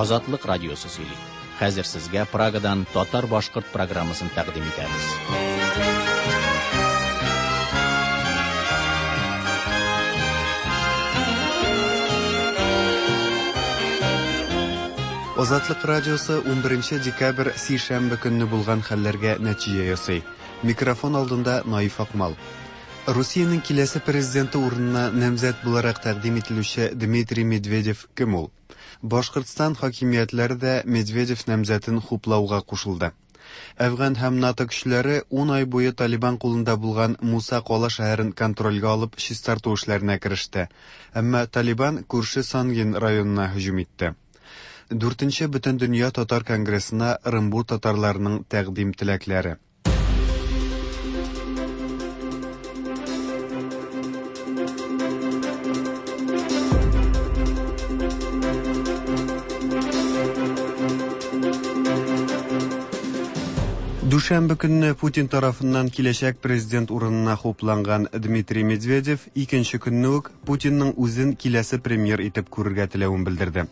Азатлык радиосы сөйли. Хәзер сезгә Прагадан татар-башкорт программасын тәкъдим итәбез. Азатлык радиосы 11 декабрь сишәмбе көнне булган хәлләргә нәтиҗә ясый. Микрофон алдында Наиф Акмал. Русиянең киләсе президенты урынына намзәт буларак тәкъдим ителүче Дмитрий Медведев кем ул? Башкортстан хакимиятләре дә Медведев намзәтен хуплауга кушылды. Әфган һәм НАТО көчләре ун ай буе Талибан кулында булган Муса Кала шәһәрен контрольгә алып чистарту эшләренә кереште. Әмма Талибан күрше Сангин районына һөҗүм итте. Дүртенче Бөтендөнья татар конгрессына Ырынбур татарларының тәкъдим-теләкләре. Дүшәмбе көнне Путин тарафыннан киләчәк президент урынына хупланган Дмитрий Медведев икенче көнне үк Путинның үзен киләсе премьер итеп күрергә теләвен белдерде.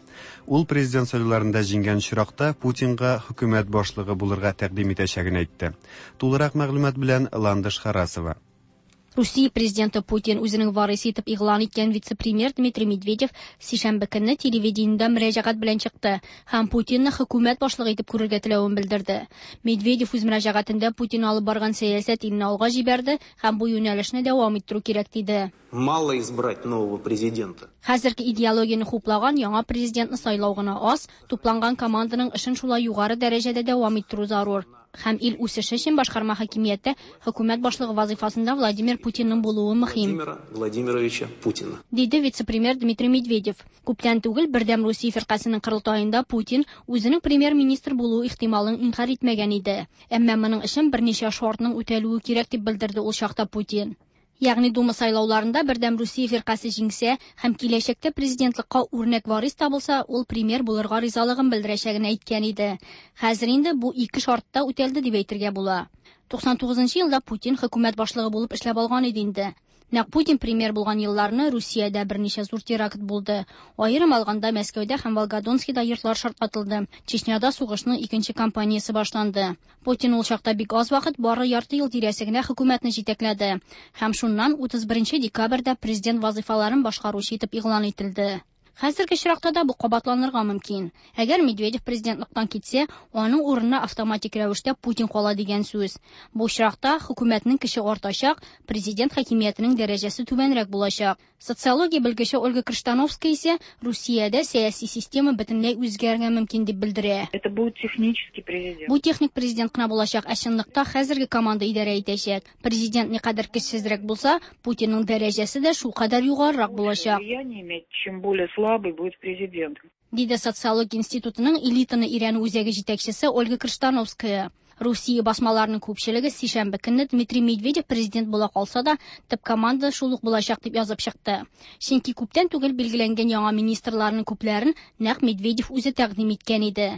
Ул президент сайлауларында җиңгән очракта Путинга хөкүмәт башлыгы булырга тәкъдим итәчәген әйтте. Тулырак мәгълүмат белән Ландыш Харасова. Русия президенты Путин үзенең варисы итеп игълан иткән вице-премьер Дмитрий Медведев сишәмбе көнне телевидениедә мөрәҗәгать белән чыкты һәм Путинны хөкүмәт башлыгы итеп күрергә теләвен белдерде. Медведев үз мөрәҗәгатендә Путин алып барган сәясәт илне алга җибәрде һәм бу юнәлешне дәвам иттерү кирәк диде. Мало избрать нового президента. Хәзерге идеологияне хуплаган яңа президентны сайлау гына аз, тупланган команданың эшен шулай югары дәрәҗәдә дәвам иттерү зарур. Һәм ил үсеше өчен башкарма хакимияттә хөкүмәт башлыгы вазыйфасында Владимир Путинның булуы мөһим. Владимира Владимировича Путина. Диде вице-премьер Дмитрий Медведев. Күптән түгел Бердәм Русия фиркасенең корылтаенда Путин үзенең премьер-министр булуы ихтималын инкарь итмәгән иде. Әмма моның өчен берничә шартның үтәлүе кирәк дип белдерде ул чакта Путин. Ягъни Дума сайлауларында Бердәм Русия фиркасе җиңсә һәм киләчәктә президентлыкка үрнәк варис табылса, ул премьер булырга ризалыгын белдерәчәген әйткән иде. Хәзер инде бу ике шарт та үтәлде дип әйтергә була. 99 елда Путин хөкүмәт башлыгы булып эшләп алган иде инде. Нәкъ Путин премьер булган елларны Русиядә берничә зур теракт булды. Аерым алганда Мәскәүдә һәм Волгодонскида йортлар шартлатылды. Чечняда сугышның икенче кампаниясе башланды. Путин ул чакта бик аз вакыт, бары ярты ел тирәсе генә хөкүмәтне җитәкләде. Һәм шуннан 31 декабрьдә президент вазыйфаларын башкаручы итеп игълан ителде. Хәзерге очракта да бу кабатланырга мөмкин. Әгәр Медведев президентлыктан китсә, аның урынына автоматик рәвештә Путин кала дигән сүз. Бу очракта хөкүмәтнең көче артачак, президент хакимиятенең дәрәҗәсе түбәнрәк булачак. Социология белгече Ольга Крыштановская исә Русиядә сәяси система бөтенләй үзгәрергә мөмкин дип белдерә. Это будет технический президент. Бу техник президент кына булачак, ә чынлыкта хәзерге команда идарә итәчәк. Президент никадәр көчсезрәк булса, Путинның дәрәҗәсе дә шулкадәр югарырак булачак. Влияние иметь, чем более слабый будет президент. Диде социология институтының элитаны өйрәнү үзәге җитәкчесе Ольга Крыштановская. Русия басмаларының күпчелеге сишәмбе көнне Дмитрий Медведев президент була калса да, төп команда шул ук булачак дип язып чыкты. Чөнки күптән түгел билгеләнгән яңа министрларның күпләрен нәкъ Медведев үзе тәкъдим иткән иде.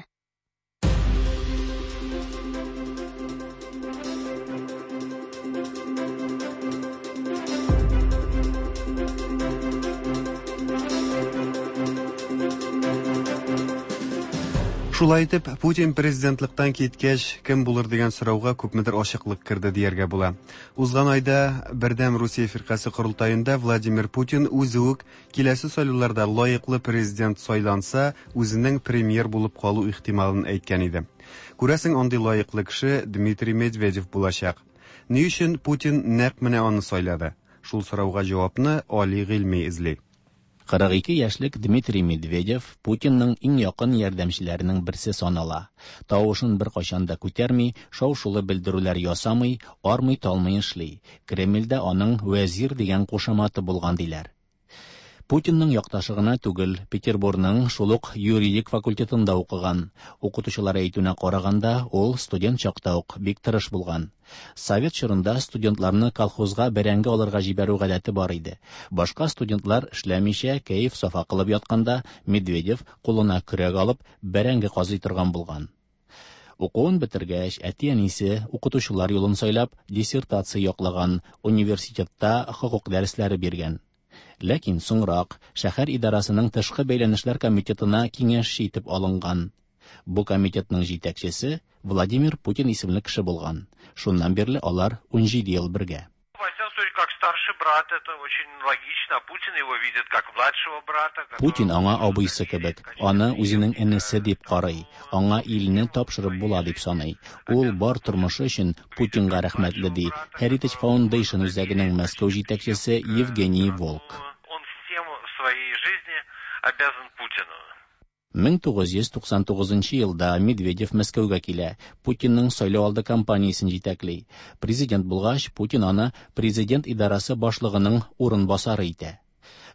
Шулай итеп, Путин президентлыктан киткәч, кем булыр дигән сорауга күпмедер ачыклык керде дияргә була. Узган айда Бердәм Русия фиркасе корылтаенда Владимир Путин үзе үк киләсе сайлауларда лаеклы президент сайланса, үзенең премьер булып калу ихтималын әйткән иде. Күрәсең, андый лаеклы кеше Дмитрий Медведев булачак. Ни өчен Путин нәкъ менә аны сайлады? Шул сорауга җавапны Али Гыйльми эзли. 42 яшьлек Дмитрий Медведев Путинның иң якын ярдәмчеләренең берсе санала. Тавышын беркайчан да күтәрми, шау-шулы белдерүләр ясамый, армый-талмый эшли. Кремльдә аның вәзир дигән кушаматы булган диләр. Путинның якташы гына түгел, Петербургның шул ук юридик факультетында укыган. Укытучылар әйтүенә караганда, ул студент чакта ук бик тырыш булган. Совет чорында студентларны колхозга бәрәңге алырга җибәрү гадәте бар иде. Башка студентлар эшләмичә кәеф-сафа кылып ятканда, Медведев кулына көрәк алып, бәрәңге казый торган булган. Укуын бетергәч, әти-әнисе укытучылар юлын сайлап, диссертация яклаган, университетта хокук дәресләре биргән. Ләкин соңрак шәһәр идарасының тышкы бәйләнешләр комитетына киңәшче итеп алынган. Бу комитетның җитәкчесе Владимир Путин исемле кеше булган. Шуннан бирле алар 17 ел бергә. Во всяком случае, как старший брат, это очень логично. Путин его видит как младшего брата. Путин аңа абыйсы кебек, аны үзенең энесе дип карый, аңа илне тапшырып була дип саный. Ул бар тормышы өчен Путинга рәхмәтле, ди Heritage Foundation үзәгенең Мәскәү җитәкчесе Евгений Волк. Он всем в своей жизни обязан Путину. 1999 елда Медведев Мәскәүгә килә, Путинның сайлау алды кампаниясен җитәкли. Президент булгач, Путин аны президент идарасы башлыгының урынбасары итә.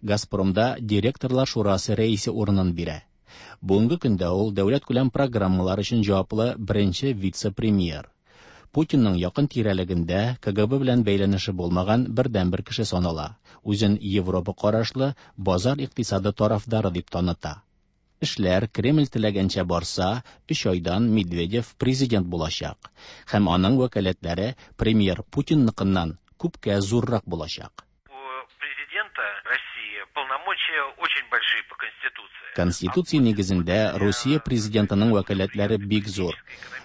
Газпромда директорлар шурасы рәисе урынын бирә. Бүгенге көндә ул дәүләт күләм программалар өчен җаваплы беренче вице-премьер. Путинның якын тирәлегендә КГБ белән бәйләнеше булмаган бердәнбер кеше санала. Үзен Европа карашлы базар икътисады тарафдары дип таныта. Эшләр Кремль теләгәнчә барса, 3 айдан Медведев президент булачак һәм аның вәкаләтләре премьер Путинныкыннан күпкә зуррак булачак. У президента России полномочия очень большие по Конституции. Конституция нигезендә Русия президентының вәкаләтләре бик зур.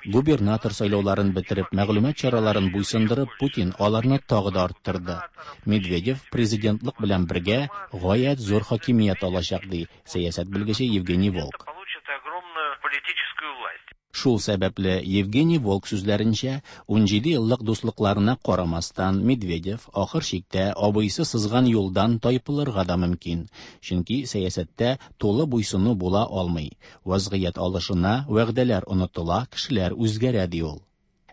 Губернатор сайлауларын бетереп, мәгълүмат чараларын буйсындырып, Путин аларны тагы да арттырды. Медведев президентлык белән бергә гаять зур хакимият алачак, ди сәясәт белгече Евгений Волк. Получит огромную политическую власть. Шул сәбәпле Евгений Волк сүзләренчә, 17 еллык дуслыкларына карамастан Медведев ахыр чиктә абыйсы сызган юлдан тайпылырга да мөмкин. Чөнки сәясәттә тулы буйсыну була алмый. Вазгыять алышына, вәгъдәләр онытыла, кешеләр үзгәрә, ди ул.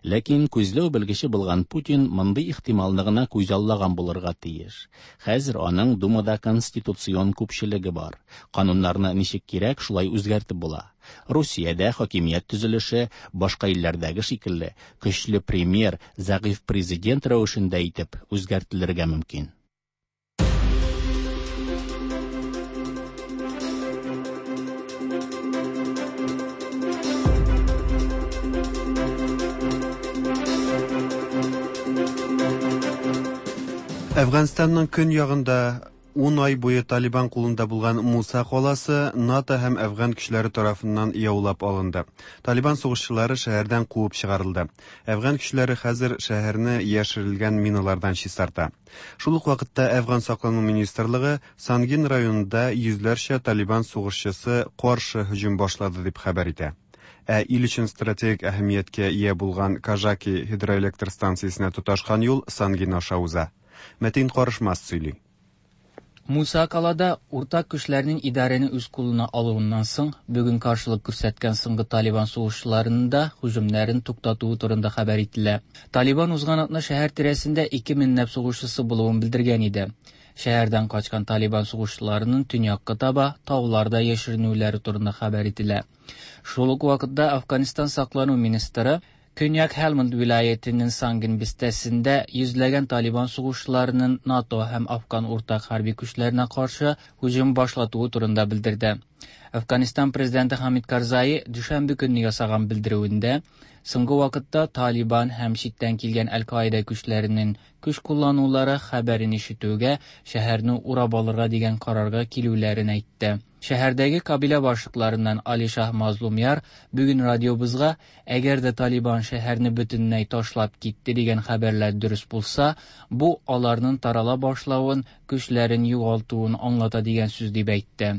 Ләкин күзләү белгече булган Путин мондый ихтималны гына күзаллаган булырга тиеш. Хәзер аның Думада конституцион күпчелеге бар. Кануннарны ничек кирәк, шулай үзгәртеп була. Русиядә хакимият төзелеше башка илләрдәге шикелле көчле премьер, зәгыйфь президент рәвешендә итеп үзгәртелергә мөмкин. Әфганстанның көньягында 10 ай буе Талибан кулында булган Муса каласы НАТО һәм әфган көчләре тарафыннан яулап алынды. Талибан сугышчылары шәһәрдән куып чыгарылды. Әфган көчләре хәзер шәһәрне яшерелгән миналардан чистарта. Шул ук вакытта Әфган саклану министрлыгы Сангин районында йөзләрчә Талибан сугышчысы каршы һөҗүм башлады дип хәбәр итә. Ә ил өчен стратегик әһәмияткә ия булган Кажаки гидроэлектр станциясенә тоташкан юл Сангин аша уза. Мәтин Карышмас сөйли. Муса Калада уртак күчләрнең идарәне үз кулына алуыннан соң бүген каршылык күрсәткән соңгы Талибан сугышчыларының да һөҗүмнәрен туктатуы турында хәбәр ителә. Талибан узган атна шәһәр тирәсендә 2000 ләп сугышчысы булуын белдергән иде. Шәһәрдән качкан Талибан сугышчыларының төньякка таба тауларда яшеренүләре турында хәбәр ителә. Шул ук вакытта Афганистан саклану министры Көньяк Хелманд вилаятенең Сангин бистәсендә йөзләгән Талибан сугышчыларының НАТО һәм Афган уртак хәрби көчләренә каршы һөҗүм башлатуы турында белдерде. Афганистан президенты Хамид Карзаи дүшәмбе көнне ясаган белдерүендә соңгы вакытта Талибан һәм читтән килгән Әл-Каида көчләренең көч кулланулары хәбәрен ишетүгә шәһәрне урап алырга дигән карарга килүләрен әйтте. Шәһәрдәге кабилә башлыкларыннан Алишах Мазлумяр бүген радиобызга әгәр дә Талибан шәһәрне бөтенләй ташлап китте дигән хәбәрләр дөрес булса, бу аларның тарала башлавын, көчләрен югалтуын аңлата дигән сүз дип әйтте.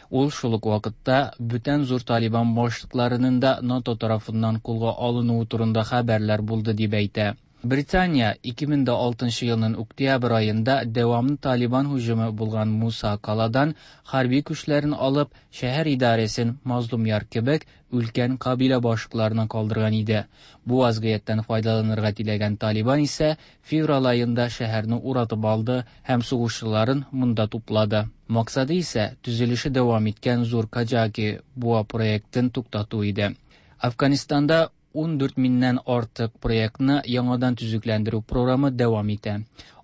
Ул шул ук вакытта бүтән зур Талибан башлыкларының да НАТО тарафыннан кулга алынуы турында хәбәрләр булды дип әйтә. Британия 2006 елның октябрь аенда дәвамлы Талибан һөҗүме булган Муса Каладан хәрби көчләрен алып, шәһәр идарәсен Мазлумяр кебек өлкән кабилә башлыкларына калдырган иде. Бу вазгыятьтән файдаланырга теләгән Талибан исә февраль аенда шәһәрне уратып алды һәм сугышчыларын монда туплады. Максаты исә төзелеше дәвам иткән зур Каджаки буа проектын туктату иде. Афганистанда 14 меңнән артык проектны яңадан төзекләндерү програмы дәвам итә.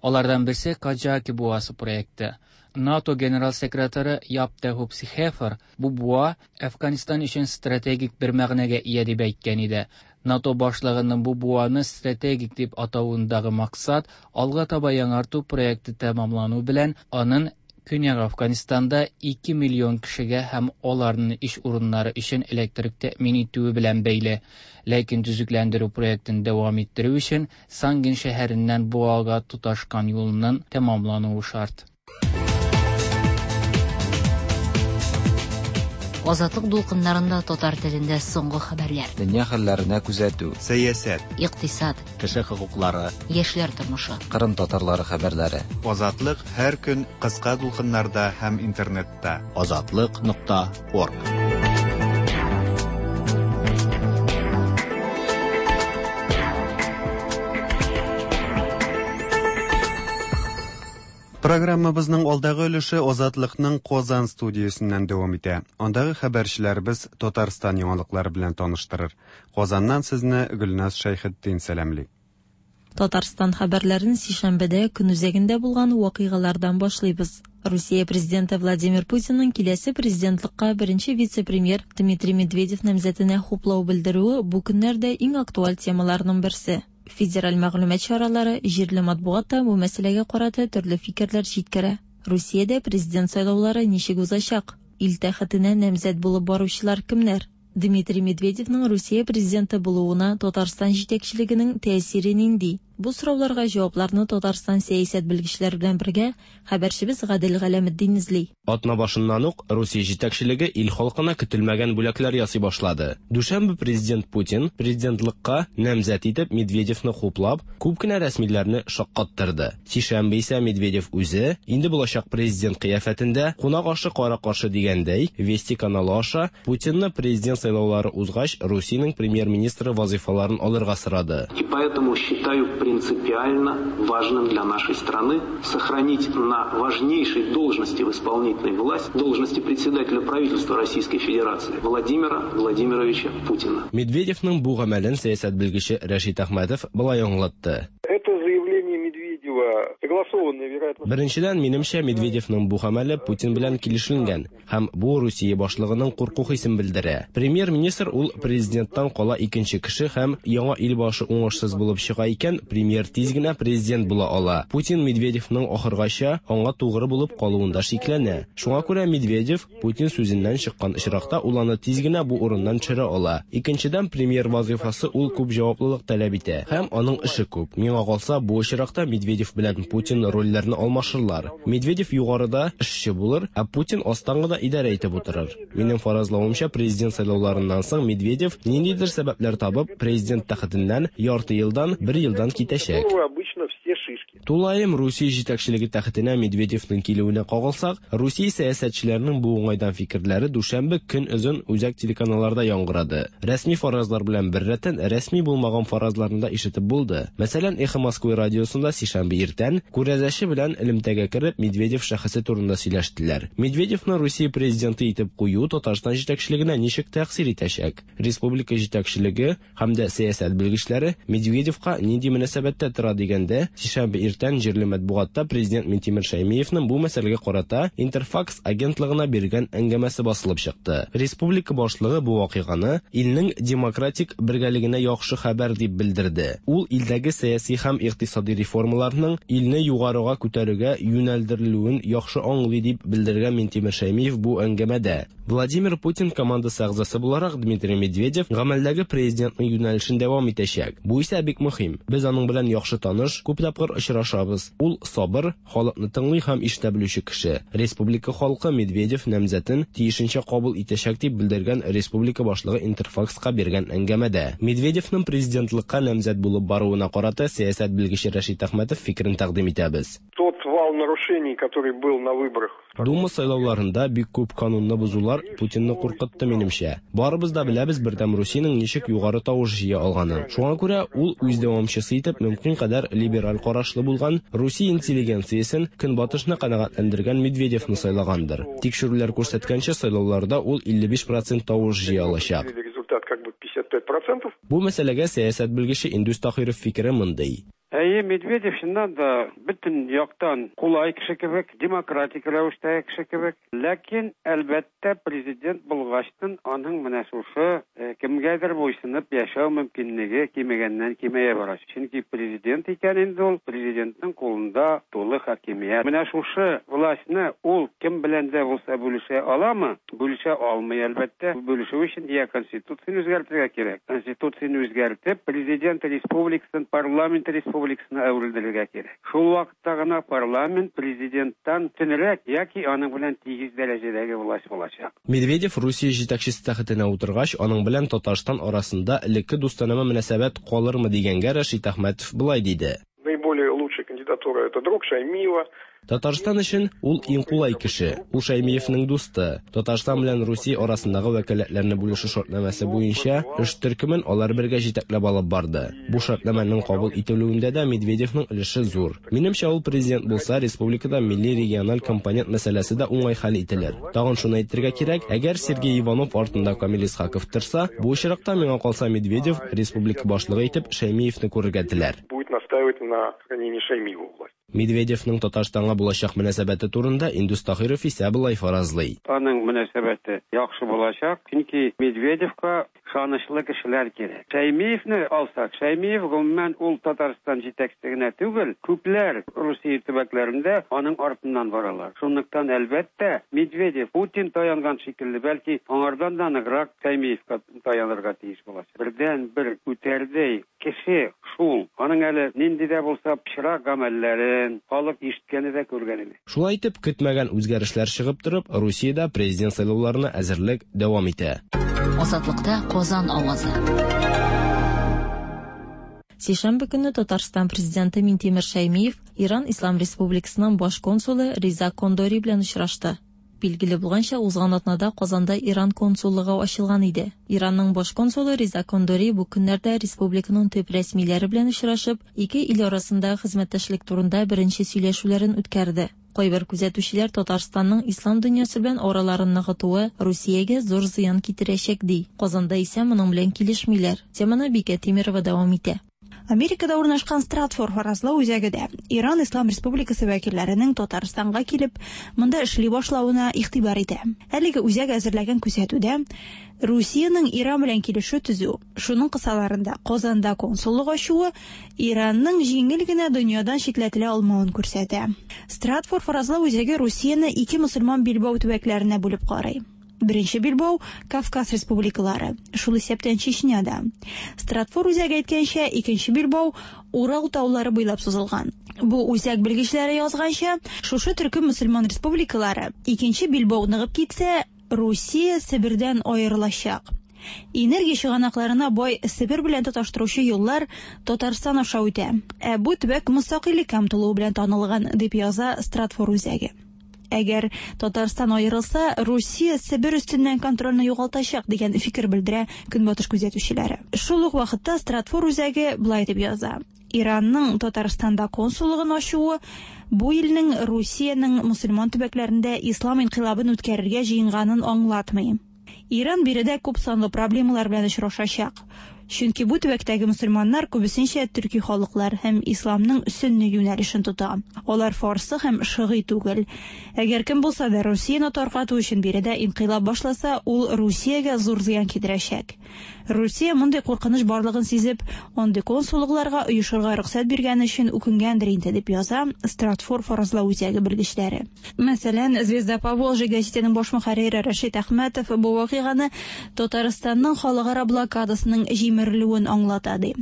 Алардан берсе Каджаки буасы проекты. НАТО генерал секретаре Яп Тәһүп Сихефер бу буа Афганистан өчен стратегик бер мәгънәгә ия дип әйткән иде. НАТО башлыгының бу буаны стратегик дип атавындагы максат алга таба яңарту проекты тәмамлану белән аның Көньяк Афганистанда 2 миллион кешегә һәм аларның эш урыннары өчен электрик тәэмин итүе белән бәйле. Ләкин төзекләндерү проектын дәвам иттерү өчен Сангин шәһәреннән Буага тоташкан юлның тәмамлануы шарт. Азатлык дулкыннарында татар телендә соңгы хәбәрләр. Дөнья хәлләренә күзәтү. Сәясәт. Икътисад. Кеше хокуклары. Яшьләр тормышы. Кырым татарлары хәбәрләре. Азатлык һәр көн кыска дулкыннарда һәм интернетта. Азатлык.орг. Программабызның алдагы өлеше Азатлыкның Казан студиясеннән дәвам итә. Андагы хәбәрчеләребез Татарстан яңалыклары белән таныштырыр. Казаннан сезне Гөлназ Шәйхетдин сәламли. Татарстан хәбәрләрен сишәмбедә көн үзәгендә булган вакыйгалардан башлыйбыз. Русия президенты Владимир Путинның киләсе президентлыкка беренче вице-премьер Дмитрий Медведев намзәтенә хуплау белдерүе бу көннәрдә иң актуаль темаларның берсе. Федераль мәгълүмат чаралары, җирле матбугат та бу мәсьәләгә карата төрле фикерләр җиткерә. Русиядә президент сайлаулары ничек узачак? Ил тәхетенә намзәт булып баручылар кемнәр? Дмитрий Медведевның Русия президенты булуына Татарстан җитәкчелегенең тәэсире нинди? Бу сорауларга җавапларны Татарстан сәясәт белгечләре белән бергә хәбәрчебез Гадел Галәметдин эзли. Атна башыннан ук Русия җитәкчелеге ил халкына көтелмәгән бүләкләр ясый башлады. Дүшәмбе президент Путин президентлыкка намзәт итеп Медведевны хуплап, күп кенә рәсмиләрне шаккаттырды. Сишәмбе исә Медведев үзе, инде булачак президент кыяфәтендә, кунак ашы кара-каршы дигәндәй, Вести каналы аша Путинны президент сайлаулары узгач Русиянең премьер-министры вазыйфаларын алырга сорады. И поэтому считаю принципиально важным для нашей страны сохранить на важнейшей должности в исполнительной власти, должности председателя правительства Российской Федерации Владимира Владимировича Путина. Медведевның бу гамәлен сәясәт белгече Рәшит Әхмәтов болай аңлатты. Это заявление Медведева согласованное, вероятно... Беренчедән, минемчә, Медведевның бу гамәле Путин белән килешенгән һәм бу Русия башлыгының курку хисен белдерә. Премьер-министр ул президенттан кала икенче кеше һәм яңа ил башы уңышсыз булып чыга икән, премьер тиз генә президент була ала. Путин Медведевның ахыргача аңа тугры булып калуында шикләнә. Шуңа күрә Медведев Путин сүзеннән чыккан очракта ул аны тиз генә бу урыннан төшерә ала. Икенчедән, премьер вазыйфасы ул күп җаваплылык таләп итә һәм аның эше күп. Миңа калса, бу очракта Медведев белән Путин рольләрне алмашырлар. Медведев югарыда эшче булыр, ә Путин астан гына идарә итеп утырыр. Минем фаразлавымча, президент сайлауларыннан соң Медведев ниндидер сәбәпләр табып, президент тәхетеннән ярты елдан, бер елдан китәчәк. Обычно все шишки. Тулаем Русия җитәкчелеге тәхетенә Медведевның килүенә кагылсак, Русия сәясәтчеләренең бу уңайдан фикерләре дүшәмбе көн озын үзәк телеканалларда яңгырады. Рәсми фаразлар белән беррәттән рәсми булмаган фаразларны да ишетеп булды. Мәсәлән, Эхо Москвы радиосында сишәмбе иртән күрәзәче белән элемтәгә кереп Медведев шәхесе турында сөйләштеләр. Медведевны Русия президенты итеп кую Татарстан җитәкчелегенә ничек тәэсир итәчәк? Республика җитәкчелеге һәм дә сәясәт белгечләре Медведевка нинди мөнәсәбәттә тора дигәндә, сишәмбе иртән җирле матбугатта президент Минтимер Шәймиевның бу мәсьәләгә карата Интерфакс агентлыгына биргән әңгәмәсе басылып чыкты. Республика башлыгы бу вакыйганы илнең демократик бергәлегенә яхшы хәбәр дип белдерде. Ул илдәге сәяси һәм икътисади реформаларның илне югарыга күтәрүгә юнәлдерелүен яхшы аңлый дип белдергән Минтимер Шәймиев бу әңгәмәдә. Владимир Путин командасы әгъзасы буларак Дмитрий Медведев гамәлдәге президентның юнәлешен дәвам итәчәк. Бу исә бик мөһим. Без аның белән яхшы таныш, күп тапкыр очрашабыз. Ул сабыр, халыкны тыңлый һәм ишетә белүче кеше. Республика халкы Медведев намзәтен тиешенчә кабул итәчәк дип белдергән республика башлыгы Интерфакска биргән әңгәмәдә. Медведевның президентлыкка намзәт булып баруына карата сәясәт белгече Рәшит Әхмәтов фикерен тәкъдим итәбез. Тот вал нарушений, который был на выборах. Дума сайлауларында бик күп канунны бозулар Путинны куркытты минемчә. Барыбыз да беләбез Бердәм Русиянең ничек югары тавыш җыя алганын. Шуңа күрә ул үз дәвамчысы итеп мөмкин кадәр либераль карашлы булган Русия интеллигенциясен көнбатышны канәгатьләндергән Медведевны сайлагандыр. Тикшерүләр күрсәткәнчә, сайлауларда ул 55% тавыш җыя алачак. Результат как бы 55%. Бу мәсьәләгә сәясәт белгече Индус Таһиров фикере мондый. Әйе, Медведев чыннан да бөтен яктан кулай кеше кебек, демократик рәвештәге кеше кебек. Ләкин, әлбәттә, президент булгачтын аның менә шушы кемгәдер буйсынып яшәү мөмкинлеге кимегәннән кимәя бара. Чөнки президент икән инде ул, президентның кулында тулы хакимият. Менә шушы властьны ул кем белән дә булса бүлешә аламы? Бүлешә алмый, әлбәттә. Бүлешү өчен я Конституцияне үзгәртергә кирәк. Конституцияне үзгәртеп, президент республикасын парламент республикасына әверелдерергә кирәк. Шул вакытта гына парламент президенттан өстенрәк яки аның белән тигез дәрәҗәдәге власть булачак. Медведев Русия җитәкчесе тәхетенә утыргач, аның белән Татарстан арасында элекке дустанәмә мөнәсәбәт калырмы дигәнгә Рәшит Әхмәтов болай диде. Наиболее лучшая кандидатура это друг Шаймиева. Татарстан өчен ул иң кулай кеше. Ул Шәймиевнең дусты. Татарстан белән Русия арасындагы вәкаләтләрне бүлешү шартнамәсе буенча эш төркемен алар бергә җитәкләп алып барды. Бу шартнамәнең кабул ителүендә дә Медведевның өлеше зур. Минемчә, ул президент булса, республикада милли региональ компонент мәсьәләсе дә уңай хәл ителер. Тагын шуны әйтергә кирәк, әгәр Сергей Иванов артында Камил Исхаков торса, бу очракта миңа калса Медведев республика башлыгы итеп Шәймиевне күрергә теләр. Будет настаивать на сохранении Шаймиева у власти. Медведевның Татарстанга булачак мөнәсәбәте турында Индус Таһиров исә болай фаразлый. Аның мөнәсәбәте яхшы булачак, чөнки Медведевка ышанычлы кешеләр кирәк. Шәймиевне алсак, Шәймиев гомумән ул Татарстан җитәкчесе генә түгел, күпләр Русия төбәкләрендә аның артыннан баралар. Шунлыктан, әлбәттә, Медведев Путин таянган шикелле, бәлки аңардан да ныграк Шәймиевка таянырга тиеш булачак. Бердәнбер үтәрдәй кеше шул. Аның әле нинди дә булса пычрак гамәлләрен халык ишеткәне дә, күргәне дә. Шулай итеп, көтмәгән үзгәрешләр чыгып торып, Русиядә президент сайлауларына әзерлек дәвам итә. Азатлыкта Казан авазы. Сишәмбе көнне Татарстан президенты Минтимер Шәймиев Иран Ислам Республикасының баш консулы Риза Кондори белән очрашты. Билгеле булганча, узган атнада Казанда Иран консуллыгы ачылган иде. Иранның баш консулы Риза Кондори бу көннәрдә республиканың төп рәсмиләре белән очрашып, ике ил арасындагы хезмәттәшлек турында беренче сөйләшүләрен үткәрде. Кайбер күзәтүчеләр Татарстанның ислам дөньясы белән араларын ныгытуы Русиягә зур зыян китерәчәк ди. Казанда исә моның белән килешмиләр. Теманы Бикә Тимерова дәвам итә. Америкада урнашкан Стратфор фаразлау үзәге дә Иран Ислам Республикасы вәкилләренең Татарстанга килеп, монда эшли башлавына игътибар итә. Әлеге үзәк әзерләгән күзәтүдә Русиянең Иран белән килешү төзү, шуның кысаларында Казанда консуллык ачуы Иранның җиңел генә дөньядан читләтелә алмавын күрсәтә. Стратфор фаразлау үзәге Русияне ике мөселман билбау төбәкләренә бүлеп карый. Беренче билбау Кавказ республикалары, шул исәптән Чечняда. Стратфор үзәге әйткәнчә, икенче билбау Урал таулары буйлап сузылган. Бу үзәк белгечләре язганча, шушы төркем мөселман республикалары икенче билбау ныгып китсә, Русия Себердән аерылачак. Энергия чыганакларына бай Себер белән тоташтыручы юллар Татарстан аша үтә. Ә бу төбәк мөстәкыйльлеккә омтылуы белән танылган, дип яза Стратфор үзәге. Әгәр Татарстан аерылса, Русия Себер өстеннән контрольне югалтачак дигән фикер белдерә Көнбатыш күзәтүчеләре. Шул ук вакытта Стратфор үзәге болай дип яза. Иранның Татарстанда консуллыгын ачуы бу илнең Русиянең мөселман төбәкләрендә ислам инкыйлабын үткәрергә җыенганын аңлатмый. Иран биредә күп санлы проблемалар белән очрашачак. Чөнки бу төбәктәге мөселманнар күбесенчә төрки халыклар һәм исламның сөнни юнәлешен тота. Алар фарсы һәм шыгый түгел. Әгәр кем булса да Русияне таркату өчен биредә инкыйлаб башласа, ул Русиягә зур зыян китерәчәк. Русия мондый куркыныч барлыгын сизеп, андый консуллыкларга оешырга рөхсәт биргән өчен үкенгәндер инде, дип яза Стратфор фаразлау үзәге белгечләре. Мәсәлән, Звезда Поволжья гәзитенең баш мөхәррире Рәшит Әхмәтов бу вакыйганы Татарстанның халыкара блокадасының җимерелүен аңлата ди.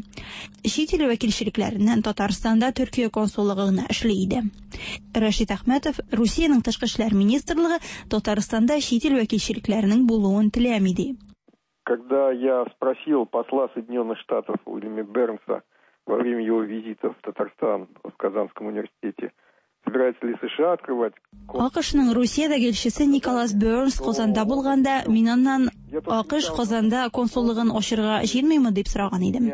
Чит ил вәкилчелекләреннән Татарстанда Төркия консуллыгы гына эшли иде. Рәшит Әхмәтов Русиянең тышкы эшләр министрлыгы Татарстанда чит ил вәкилчелекләренең булуын теләми ди. Когда я спросил посла Соединенных Штатов Уильяма Бернса во время его визита в Татарстан в Казанском университете, собирается ли США открывать АКШның Русиядәге илчесе Николас Бернс Казанда булганда, мин аннан АКШ Казанда консуллыгын ачырга җыенмыймы дип сораган идем.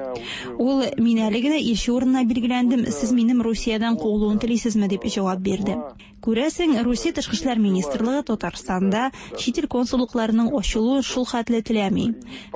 Ул, мин әле генә илче урынына билгеләндем, сез минем Русиядән куылуын телисезме дип җавап бирде. Күрәсең, Русия Тышкы эшләр министрлыгы Татарстанда чит ил консуллыкларының ачылуын шул хәтле теләми.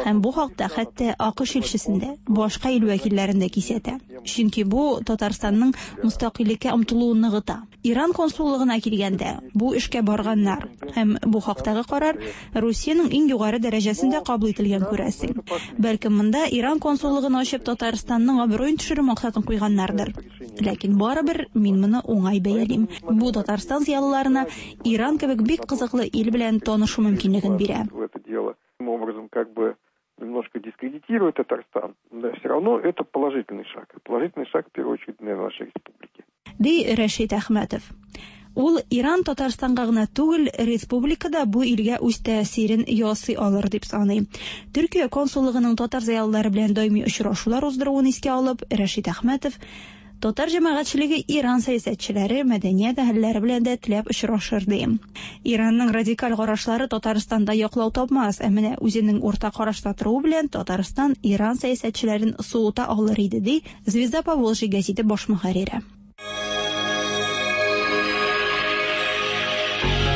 Һәм бу хакта хәтта АКШ илчесен дә, башка ил вәкилләрен дә кисәтә. Чөнки бу Татарстанның мөстәкыйльлеккә омтылуын ныгыта. Иран консуллыгына килгәндә, бу эшкә барганнар. Һәм бу хактагы карар Русиянең иң югары дәрәҗәсендә кабул ителгән, күрәсең. Бәлкем монда Иран консуллыгын ачып Татарстанның абруен төшерү максатын куйганнардыр. Ләкин барыбер мин моны уңай бәялим. Бу Татарстан зыялыларына Иран кебек бик кызыклы ил белән танышу мөмкинлеген бирә. Образом, как бы немножко дискредитирует Татарстан, но все равно это положительный шаг. Положительный шаг, в первую очередь, для нашей республики. Ди Рәшит Әхмәтов. Ул Иран Татарстанга гына түгел, республикада бу илгә үз тәэсирен ясый алыр дип саный. Төркия консуллыгының татар зыялылары белән даими очрашулар уздыруын искә алып, Рәшит Әхмәтов татар җәмәгатьчелеге Иран сәясәтчеләре, мәдәният әһелләре белән дә теләп очрашыр ди. Иранның радикаль карашлары Татарстанда яклау тапмас, ә менә үзенең урта карашта торуы белән Татарстан Иран сәясәтчеләрен суыта алыр иде, ди Звезда Поволжья гәзите баш мөхәррире.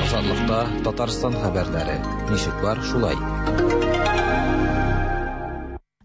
Азатлыкта Татарстан хәбәрләре. Ничек бар, шулай.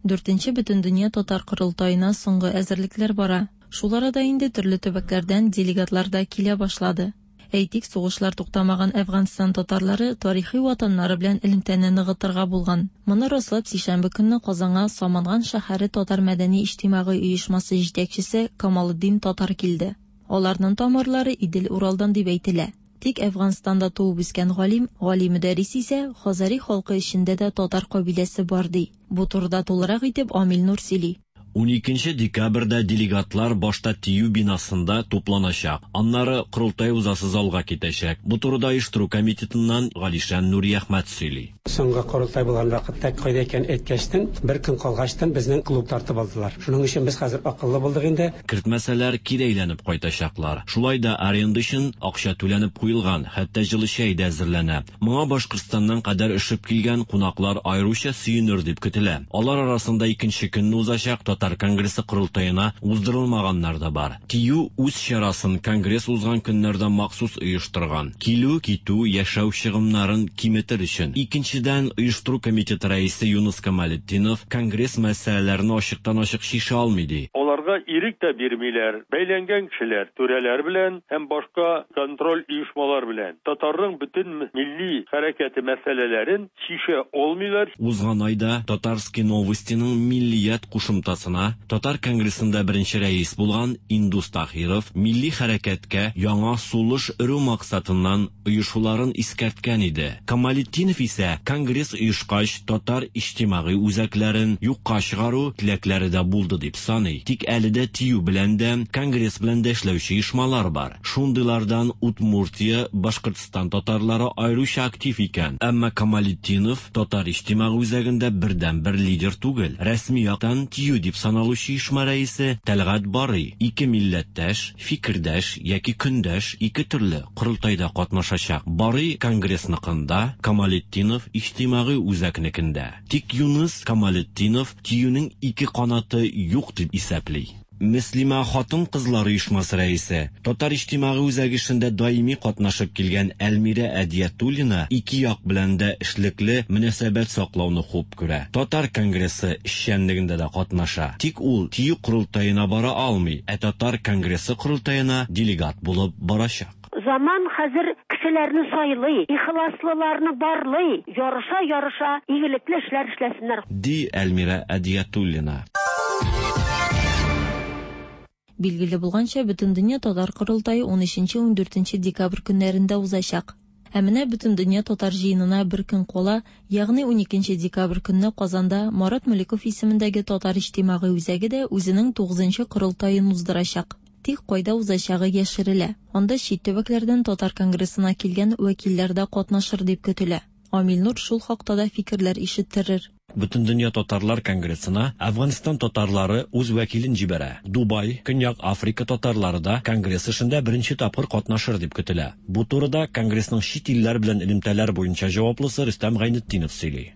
Дүртенче Бөтендөнья татар корылтаена соңгы әзерлекләр бара. Шул арада инде төрле төбәкләрдән делегатлар да килә башлады. Әйтик, сугышлар туктамаган Әфганстан татарлары тарихи ватаннары белән элемтәне ныгытырга булган. Моны раслап сишәмбе көнне Казанга Саманган шәһәре татар мәдәни иҗтимагый оешмасы җитәкчесе Камалетдин Татар килде. Аларның тамырлары Идел-Уралдан дип әйтелә. Тик Әфганстанда туып үскән галим Гали Мөдәррис исә Хазари халкы эчендә дә татар кабиләсе бар ди. Бу турыда тулырак итеп Амил Нур сөйли. 12 декабрьдә делегатлар башта ТИЮ бинасында тупланачак. Аннары корылтай узасы залга китәчәк. Бу турыда оештыру комитетыннан Галишан Нуриәхмәт сөйли. Соңгы корылтай булган вакытта кайда икән әйткәчтен, бер көн калгачтын безнең клуб тартып алдылар. Шуның өчен без хәзер акыллы булдык инде. Кертмәсәләр, кире әйләнеп кайтачаклар. Шулай да аренда өчен акча түләнеп куелган, хәтта җылы чәй дә әзерләнә. Моңа Башкортстаннан кадәр өшеп килгән кунаклар аеруча сөенер дип көтелә. Алар арасында икенче көнне узачак Татар конгрессы корылтаена уздырылмаганнар да бар. ТИЮ үз чарасын конгресс узган көннәрдә махсус оештырган. Килү, китү, яшәү чыгымнарын киметер өчен. Икенчедән, оештыру комитеты рәисе Юныс Камалетдинов конгресс мәсьәләләрен ачыктан-ачык чишә алмый ди. Аларга ирек тә бирмиләр. Бәйләнгән кешеләр, түрәләр белән һәм башка контроль оешмалар белән татарның бөтен милли хәрәкәте мәсьәләләрен чишә алмыйлар. Узган айда Татарские новостиның Миллият кушымтасына Татар конгрессында беренче рәис булган Индус Таһиров милли хәрәкәткә яңа сулыш өрү максатыннан оешуларын искәрткән иде. Камалетдинов исә конгресс оешкач татар иҗтимагый үзәкләрен юкка чыгару теләкләре дә булды дип саный. Тик әле дә ТИЮ белән дә, конгресс белән дә эшләүче оешмалар бар. Шундыйлардан Удмуртия, Башкортстан татарлары аеруча актив икән. Әмма Камалетдинов татар иҗтимагый үзәгендә бердәнбер лидер түгел. Рәсми яктан ТИЮ дип саналучы оешма рәисе Тәлгать Барый. Ике милләттәш, фикердәш яки көндәш ике төрле корылтайда катнашачак. Барый конгрессныкында, Камалетдинов иҗтимагый үзәкнекендә. Тик Юныс Камалетдинов ТИЮнең ике канаты юк дип исәпли. Мөслимә хатын-кызлар оешмасы рәисе, Татар иҗтимагый үзәге эшендә даими катнашып килгән Әлмирә Әдиятуллина ике як белән дә эшлекле мөнәсәбәт саклауны хуп күрә. Татар конгрессы эшчәнлегендә дә катнаша. Тик ул ТИЮ корылтаена бара алмый, ә Татар конгрессы корылтаена делегат булып барачак. Заман хәзер кешеләрне сайлый, ихласлыларны барлый, ярыша-ярыша игелекле эшләр эшләсеннәр. Ди Әлмирә Әдиятуллина. Билгеле булганча, Бөтендөнья татар корылтае 13-14 декабрь көннәрендә узачак. Ә менә Бөтендөнья татар җыенына бер көн кала, ягъни 12 декабрь көнне Казанда Марат Мөлеков исемендәге Татар иҗтимагый үзәге дә үзенең 9нчы корылтаен уздырачак. Тик кайда узачагы яшерелә. Анда чит төбәкләрдән Татар конгрессына килгән вәкилләр дә катнашыр дип көтелә. Амил Нур шул хакта да фикерләр ишеттерер. Бөтендөнья татарлар конгрессына Әфганстан татарлары үз вәкилен җибәрә. Дубай, Көньяк Африка татарлары да конгресс эшендә беренче тапкыр катнашыр дип көтелә. Бу турыда конгрессның чит илләр белән элемтәләр буенча җаваплысы Рөстәм Гайнетдинов сөйли.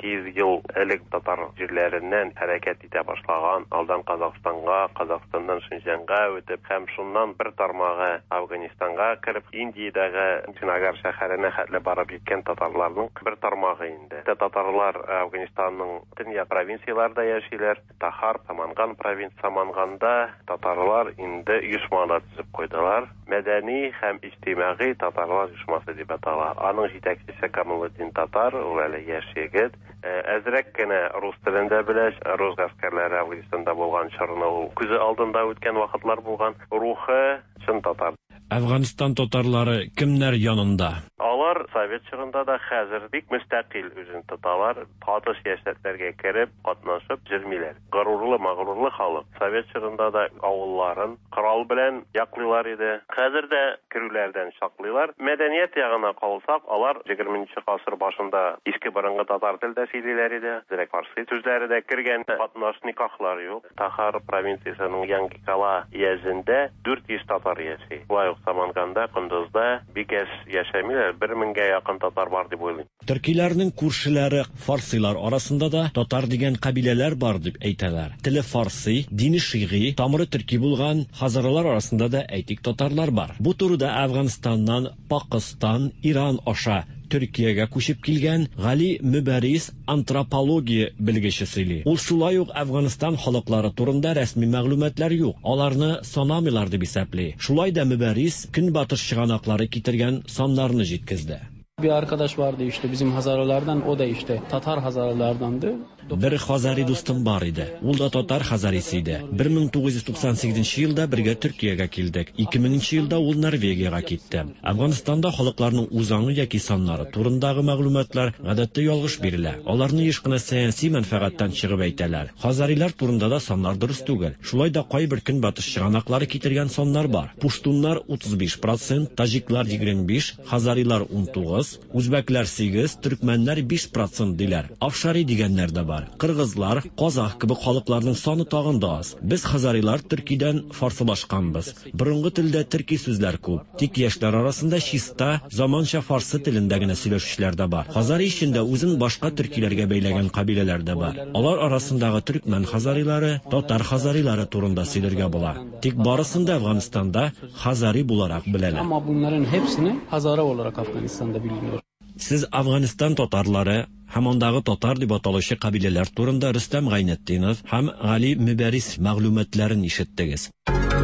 200 ел элек татар җирләреннән хәрәкәт итә башлаган, алдан Казахстанга, Казахстаннан Шинҗаңга үтеп һәм шуннан бер тармагы Афганистанга кереп, Индиядәге Чинагар шәһәренә хәтле барып җиткән татарларның бер тармагы инде. Татарлар Афганистанның төньяк провинцияләрендә яшиләр. Тахар, Саманган провинция, Саманганда татарлар инде оешма да төзеп куйдылар. Мәдәни һәм иҗтимагый татарлар оешмасы дип атала. Аның җитәкчесе Камалетдин Татар, ул әле яшь егет. Әзрәк кенә рус телен дә белә. Рус гаскәрләре Афганистанда булган чорны ул күзе алдында үткән вакытлар булган. Рухы чын татар. Әфганстан татарлары кемнәр янында? Алар совет чорында да, хәзер бик мөстәкыйль үзен тоталар. Каты сәясәтләргә кереп, катнашып йөрмиләр. Горурлы, магрурлы халык. Совет чорында да авылларын корал белән яклыйлар иде. Хәзер дә керүләрдән саклыйлар. Мәдәният ягына калсак, алар егерменче гасыр башында иске борынгы татар телдә сөйлиләр иде. Әзрәк фарсы сүзләре дә кергән. Катнаш никахлар юк. Тахар провинциясенең Янгикала өязендә 400 татар яши. Шулай ук Саманганда, Кондызда бик әз яшәмиләр, бер меңгә якын татар бар дип уйлыйм. Төркиләрнең күршеләре фарсыйлар арасында да татар дигән кабиләләр бар дип әйтәләр. Теле фарсый, дине шигый, тамыры төрки булган хазаралар арасында да, әйтик, татарлар бар. Бу турыда Әфганстаннан Пакыстан, Иран аша Төркиягә күчеп килгән Гали Мөбәрис антропология белгече сөйли. Ул шулай ук Әфганстан халыклары турында рәсми мәгълүматлар юк, аларны санамыйлар дип исәпли. Шулай да Мөбәрис Көнбатыш чыганаклары китергән саннарны җиткезде. Bir arkadaş vardı işte bizim Hazaralardan, o da işte Tatar Hazaralardandı. Бер хазари дустым бар иде. Ул да татар хазарисы иде. 1998 елда бергә Төркиягә килдек. 2000 елда ул Норвегиягә китте. Әфганстанда халыкларның үзаңы яки саннары турындагы мәгълүматлар гадәттә ялгыш бирелә. Аларны еш кына сәяси мәнфәгатьтән чыгып әйтәләр. Хазарилар турында да саннар дөрес түгел. Шулай да кайбер көнбатыш чыганаклары китергән саннар бар. Пуштуннар 35%, таҗиклар 25, хазарилар 19, үзбәкләр 8, төркмәннәр 5% диләр. Афшари дигәннәр дә бар. Кыргызлар, казах кебек халыкларның саны тагын да аз. Без хазарилар төркидән фарсылашканбыз. Борынгы телдә төрки сүзләр күп. Тик яшьләр арасында чиста, заманча фарсы телендә генә сөйләшүчеләр дә бар. Хазари эчендә үзен башка төркиләргә бәйләгән кабиләләр дә бар. Алар арасындагы төркмән хазарилары, татар хазарилары турында сөйләргә була. Тик барысын да Әфганстанда хазари буларак беләләр. Ama bunların hepsini Hazara olarak Afganistan'da biliniyor. Сез Әфганстан татарлары һәм андагы татар дип аталучы кабиләләр турында Рөстәм Гайнетдинов һәм Гали Мөбәрис мәгълүматларын ишеттегез.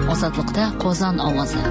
Азатлыкта Казан авазы.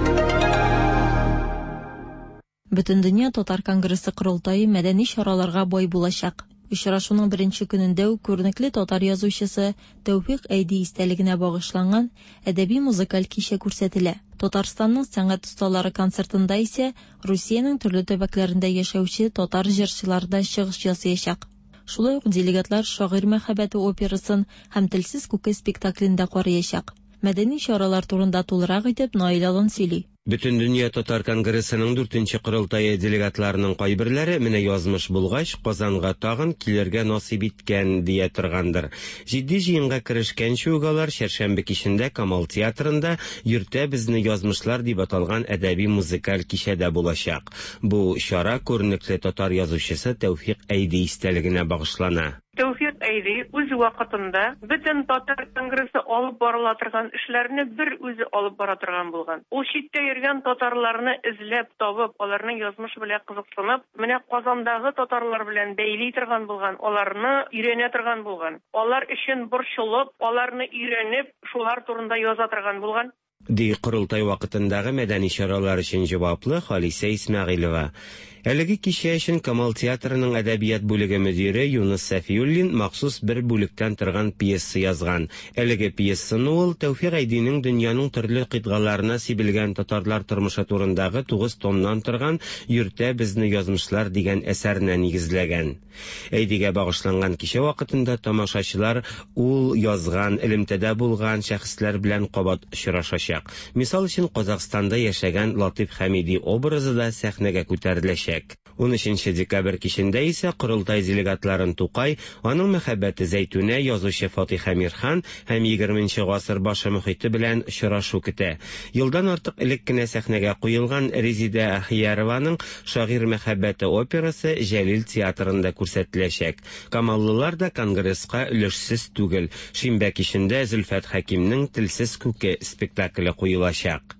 Бөтендөнья татар конгрессы корылтае мәдәни чараларга бай булачак. Очрашуның беренче көнендә үк күренекле татар язучысы Тәүфикъ Әйди истәлегенә багышланган әдәби музыкаль кичә күрсәтелә. Татарстанның сәнгать осталары концертында исә Русиянең төрле төбәкләрендә яшәүче татар җырчылары да чыгыш ясаячак. Шулай ук делегатлар Шагыйрь мәхәббәте операсын һәм Телсез күке спектаклен дә караячак. Мәдәни чаралар турында тулырак итеп Наил Алан сөйли. Бөтендөнья татар конгрессының дүртенче корылтае делегатларының кайберләре менә язмыш булгач, Казанга тагын килергә насыйп иткән дия торгандыр. Җитди җыенга керешкәнче үк алар чәршәмбе кичендә Камал театрында Йөртә безне язмышлар дип аталган әдәби-музыкаль кичәдә булачак. Бу чара күренекле татар язучысы Тәүфикъ Әйди истәлегенә багышлана. Тәүфикъ Әйди үз вакытында бөтен татар конгрессы алып барыла торган эшләрне бер үзе алып бара торган булган. Ул читтә йөргән татарларны эзләп табып, аларның язмышы белән кызыксынып, менә Казандагы татарлар белән бәйли торган булган, аларны өйрәнә торган булган. Алар өчен борчылып, аларны өйрәнеп, шулар турында яза торган булган. Ди корылтай вакытындагы мәдәни чаралар өчен җаваплы Халисә Исмәгыйлева. Әлеге кичә өчен Камал театрының әдәбият бүлеге мөдире Юныс Сәфиуллин махсус бер бүлектән торган пьеса язган. Әлеге пьесаны ул Тәүфикъ Әйдинең дөньяның төрле кыйтгаларына сибелгән татарлар тормышы турындагы 9 томнан торган Йөртә безне язмышлар дигән әсәренә нигезләгән. Әйдигә багышланган кичә вакытында тамашачылар ул язган, элемтәдә булган шәхесләр белән кабат очрашачак. Мисал өчен, Казахстанда яшәгән Латыйф Хәмиди образы да сәхнәгә күтәреләчәк. үтәчәк. 13 декабрь кичендә исә корылтай делегатларын Тукай, аның мәхәббәте Зәйтүнә, язучы Фатих Әмирхан һәм 20 гасыр башы мохите белән очрашу көтә. Елдан артык элек кенә сәхнәгә куелган Резидә Ахиярованың Шагыйрь мәхәббәте операсы Җәлил театрында күрсәтеләчәк. Камаллылар да конгресска өлешсез түгел. Шимбә кичендә Зөлфәт Хәкимнең Телсез күке спектакле куелачак.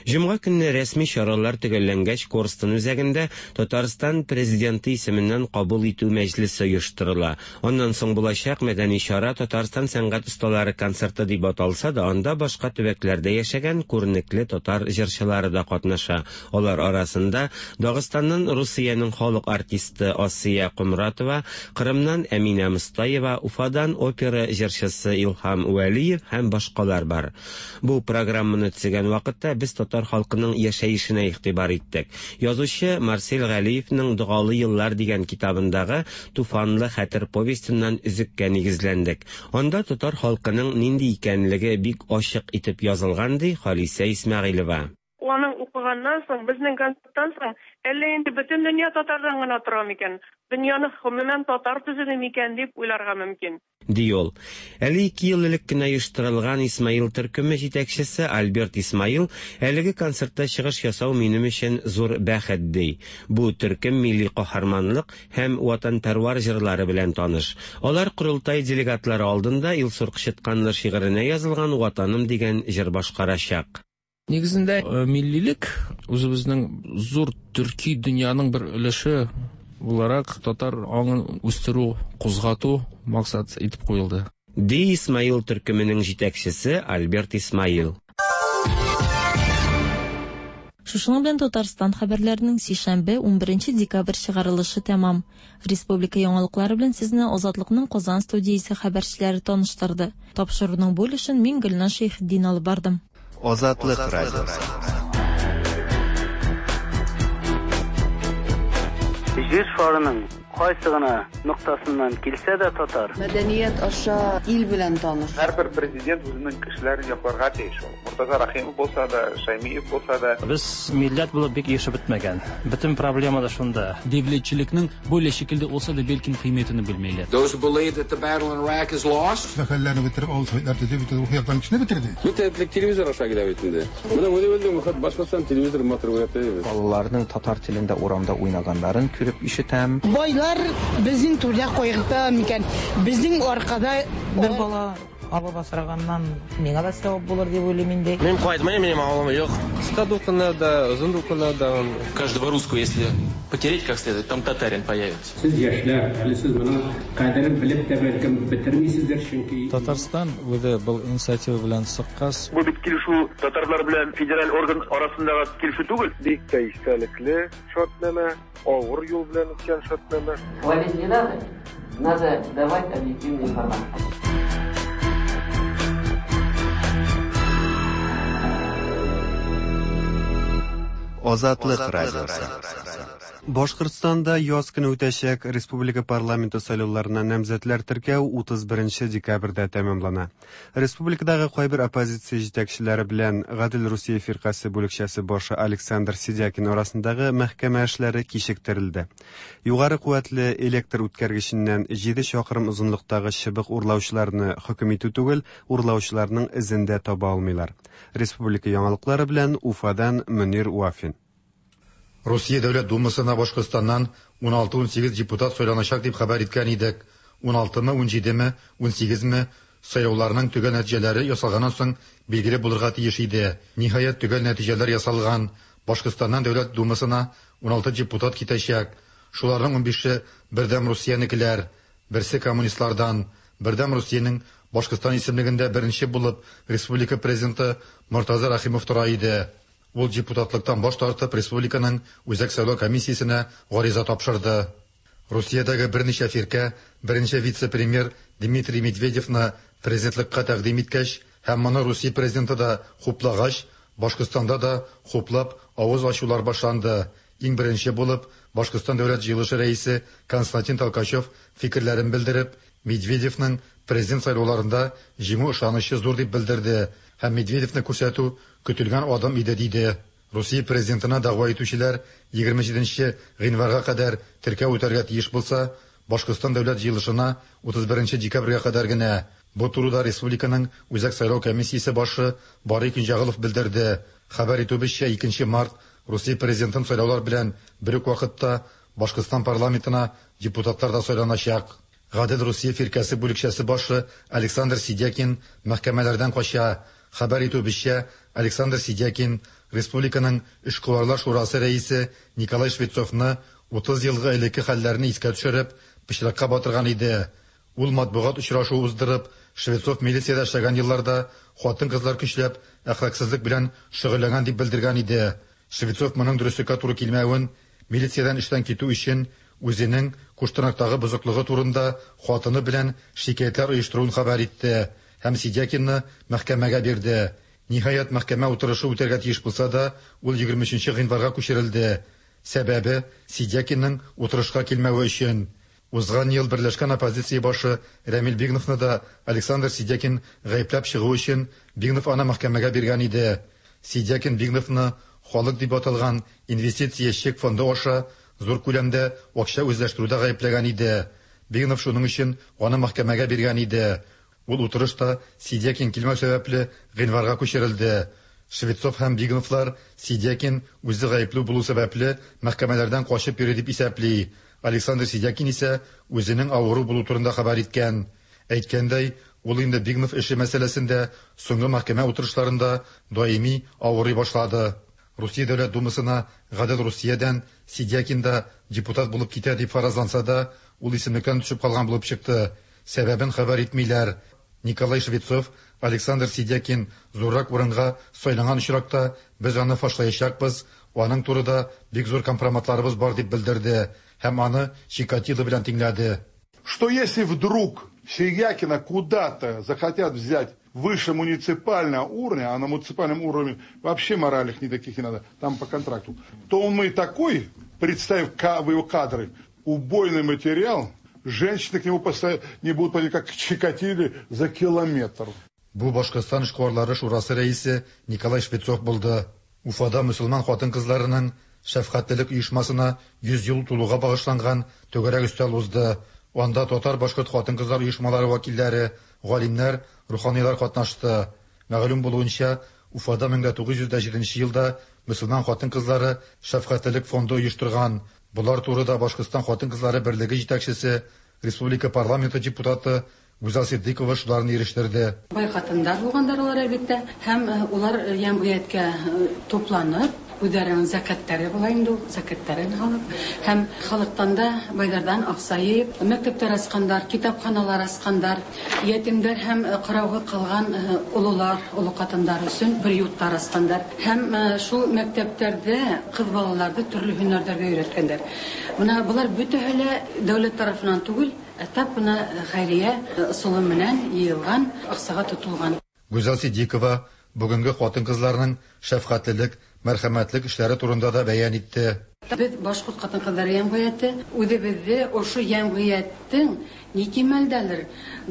Җомга көнне рәсми чаралар төгәлләнгәч Корстон үзәгендә Татарстан Президенты исеменнән кабул итү мәҗлесе оештырыла. Аннан соң булачак мәдәни чара Татарстан сәнгать осталары концерты дип аталса да, анда башка төбәкләрдә яшәгән күренекле татар җырчылары да катнаша. Алар арасында Дагыстаннан Русиянең халык артисты Асия Комратова, Кырымнан Әминә Мостаева, Уфадан опера җырчысы Илһам Вәлиев һәм башкалар бар. Бу программаны төзегән вакытта без татар халкының яшәешенә игътибар иттек. Язучы Марсель Галиевның Догалы еллар дигән китабындагы Туфанлы хәтер повестеннан өзеккә нигезләндек. Анда татар халкының нинди икәнлеге бик ачык итеп язылган, ди Халисә Исмәгыйлева. Аның укыганнан соң, безнең концерттан соң, әллә инде бөтен дөнья татардан гына тора микән, дөньяны гомумән татар төзеде микән дип уйларга мөмкин. Ди ул. Әле ике ел элек кенә оештырылган Исмаил төркеме җитәкчесе Альберт Исмаил, әлеге концертта чыгыш ясау минем өчен зур бәхет, ди. Бу төркем милли каһарманлык һәм ватанпәрвар җырлары белән таныш. Алар корылтай делегатлары алдында Илсур Кычытканлы шигыренә язылган Ватаным дигән җыр башкарачак. Нигезендә миллилек үзебезнең зур төрки дөньяның бер өлеше буларак татар аңын үстерү, кузгату максат итеп куелды. Ди Исмаил төркеменең җитәкчесе Альберт Исмаил. Шушының белән Татарстан хәбәрләренең сишәмбе, 11 декабрь чыгарылышы тәмам. Республика яңалыклары белән сезне Азатлыкның Казан студиясе хәбәрчеләре таныштырды. Тапшыруның бу өлешен мин Гөлназ Шәйхетдин алып бардым. Азатлык радиосы. Җир шарының кайсы гына ноктасыннан килсә дә татар. Мәдәният аша ил белән таныш. Һәрбер президент үзенең кешеләрен якларга тиеш ул. Мортаза Рәхимов булса да, Шәймиев булса да. Без милләт булып бик ирешеп бетмәгән. Бөтен проблема да шунда. Девлетчелекнең бөйлә шикелдә olsa да белким кыйммәтен белмиләр. Those who believe that the battle in Iraq is lost. Хәлләрне бетереп, авыл советлар төзеп, бөтен рухи яктан кешене бетерде. Бөтен телевизор аша килә бит инде. Менә моны белдем, хат Башкортстан телевизор матур күрәтә. Балаларның татар телендә урамда уйнаганнарын күреп ишетәм. Байлар безнең түрдә кайгырта микән? Безнең аркада бер бала алып асраганнан миңа да савап булыр дип уйлыйм инде. Мин кайтмыйм, минем авылым юк. Кыска дулкыннарда, озын дулкыннарда. Каждого русского, если потереть как следует, там татарин появится. Сез яшьләр, әле сез моның кадерен белеп тә бәлкем бетермисездер, чөнки Татарстан үзе был инициатива белән чыккач. Бу бит килешү татарлар белән федераль орган арасындагы килешү түгел. Бик тә истәлекле шартнамә, авыр юл белән үткән шартнамә. Хвалить не надо, надо давать объективную информацию. Азатлык радиосы. Башкортстанда яз көне үтәчәк республика парламенты сайлауларына намзәтләр теркәү 31 декабрьдә тәмамлана. Республикадагы кайбер оппозиция җитәкчеләре белән Гадел Русия фиркасе бүлекчәсе башы Александр Сидякин арасындагы мәхкәмә эшләре кичектерелде. Югары куәтле электр үткәргеченнән 7 чакрым озынлыктагы чыбык урлаучыларны хөкем итү түгел, урлаучыларның эзен дә таба алмыйлар. Республика яңалыклары белән Уфадан Мөнир Вафин. Русия Дәүләт Думасына Башкортстаннан 16-18 депутат сайланачак дип хәбәр иткән идек. 16-мы, 17-ме, 18-ме сайлауларның төгәл нәтиҗәләре ясалганнан соң билгеле булырга тиеш иде. Ниһаять, төгәл нәтиҗәләр ясалган. Башкортстаннан Дәүләт Думасына 16 депутат китәчәк. Шуларның 15-е Бердәм Русиянекеләр, берсе коммунистлардан. Бердәм Русиянең Башкортстан исемлегендә беренче булып республика президенты Мортаза Рәхимов тора иде. Ул депутатлыктан баш тартып республиканың Үзәк сайлау комиссиясенә гариза тапшырды. Русиядәге берничә фиркә беренче вице-премьер Дмитрий Медведевны президентлыкка тәкъдим иткәч һәм моны Русия президенты да хуплагач, Башкортстанда да хуплап авыз ачулар башланды. Иң беренче булып Башкортстан Дәүләт җыелышы рәисе Константин Толкачев фикерләрен белдереп, Медведевның президент сайлауларында җиңү ышанычы зур дип белдерде һәм Медведевны күрсәтү көтелгән адым иде диде. Русия президентына дәгъва итүчеләр 27 гыйнварга кадәр теркәү үтәргә тиеш булса, Башкортстан дәүләт җыелышына 31 декабрьгә кадәр генә. Бу турыда республиканың Үзәк сайлау комиссиясе башы Барый Көнҗәгылов белдерде. Хәбәр итүебезчә, 2 март Русия президентын сайлаулар белән бер үк вакытта Башкортстан парламентына депутатлар да сайланачак. Гадел Русия фиркәсе бүлекчәсе башы Александр Сидякин мәхкәмәләрдән кача. Хәбәр итүебезчә, Александр Сидякин республиканың Эшкуарлар шурасы рәисе Николай Швецовны 30 елгы элекке хәлләрне искә төшереп, пычракка батырган иде. Ул матбугат очрашуы уздырып, Швецов милициядә эшләгән елларда хатын-кызлар көчләп әхлаксызлык белән шөгыльләнгән дип белдергән иде. Швецов моның дөреслеккә туры килмәвен, милициядән эштән китү өчен үзенең Куштанактагы бозыклыгы турында хатыны белән шикаятьләр оештыруын хәбәр итте һәм Сидякинны мәхкәмәгә бирде. Ниһаять, мәхкәмә утырышы үтәргә тиеш булса да, ул 23 гыйнварга күчерелде. Сәбәбе, Сидякинның утырышка килмәве өчен. Узган ел берләшкән оппозиция башы Рәмил Бигновны да Александр Сидякин гаепләп чыгу өчен Бигнов аны мәхкәмәгә биргән иде. Сидякин Бигновны халык дип аталган инвестиция чек фонды аша зур күләмдә акча үзләштерүдә гаепләгән иде. Бигнов шуның өчен аны мәхкәмәгә биргән иде. Ул утырыш та Сидякин килмәү сәбәпле гыйнварга күчерелде. Швецов һәм Бигновлар Сидякин үзе гаепле булу сәбәпле мәхкәмәләрдән качып йөри дип исәпли. Александр Сидякин исә үзенең авыру булу турында хәбәр иткән. Әйткәндәй, ул инде Бигнов эше мәсьәләсендә соңгы мәхкәмә утырышларында даими авырый башлады. Русия Дәүләт Думасына Гадел Русиядән Сидякин да депутат булып китә дип фаразланса да, ул исемлектән төшеп калган булып чыкты. Сәбәбен хәбәр итмиләр. Николай Швецов, Александр Сидякин зуррак урынга сайланган очракта без аны фашлаячакбыз, аның турыда бик зур компроматларыбыз бар дип белдерде һәм аны Чикатило белән тиңләде. Что если вдруг Сидякина куда-то захотят взять выше муниципального уровня, а на муниципальном уровне вообще моральных никаких не надо, там по контракту, то он мы такой, представив его кадры, убойный материал, женщины к нему не будут подходить, как к Чикатиле, за километр. Бу Башкортстан эшкуарлары шурасы рәисе Николай Швецов булды. Уфада мөселман хатын-кызларының шәфкатьлелек оешмасына 100 ел тулуга багышланган түгәрәк өстәл узды. Анда татар-башкорт хатын-кызлар оешмалары вәкилләре, галимнәр, руханилар катнашты. Мәгълүм булуынча, Уфада 1907 елда мөселман хатын-кызлары шәфкатьлелек фонды оештырган. Болар турыда Башкортстан хатын-кызлары берлеге җитәкчесе, республика парламенты депутаты Гүзәл Ситдыйкова шуларны ирештерде. Бай хатыннар булганнар алар әлбәттә, һәм улар җәмгыятькә тупланып, үзләренең закатлары була инде ул, закатларын алып, һәм халыктан да байлардан акча җыеп, мәктәпләр ачканнар, китапханалар ачканнар, ятимнәр һәм карауга калган олылар, олы хатыннар өчен приютлар ачканнар. Һәм шул мәктәпләрдә кыз балаларны төрле һөнәрләргә өйрәткәннәр. Менә болар бөтәһе лә дәүләт тарафыннан түгел, Тап менә хәйрия ысулы менән йыелган акчага тотылган. Гүзәл Ситдикова бүгенге хатын-кызларның шәфкатьлелек, мәрхәмәтлек эшләре турында да бәян итте. Без, башкорт хатын-кызлары җәмгыяте, үзебезне ошо җәмгыятьнең ни кимәлдәлер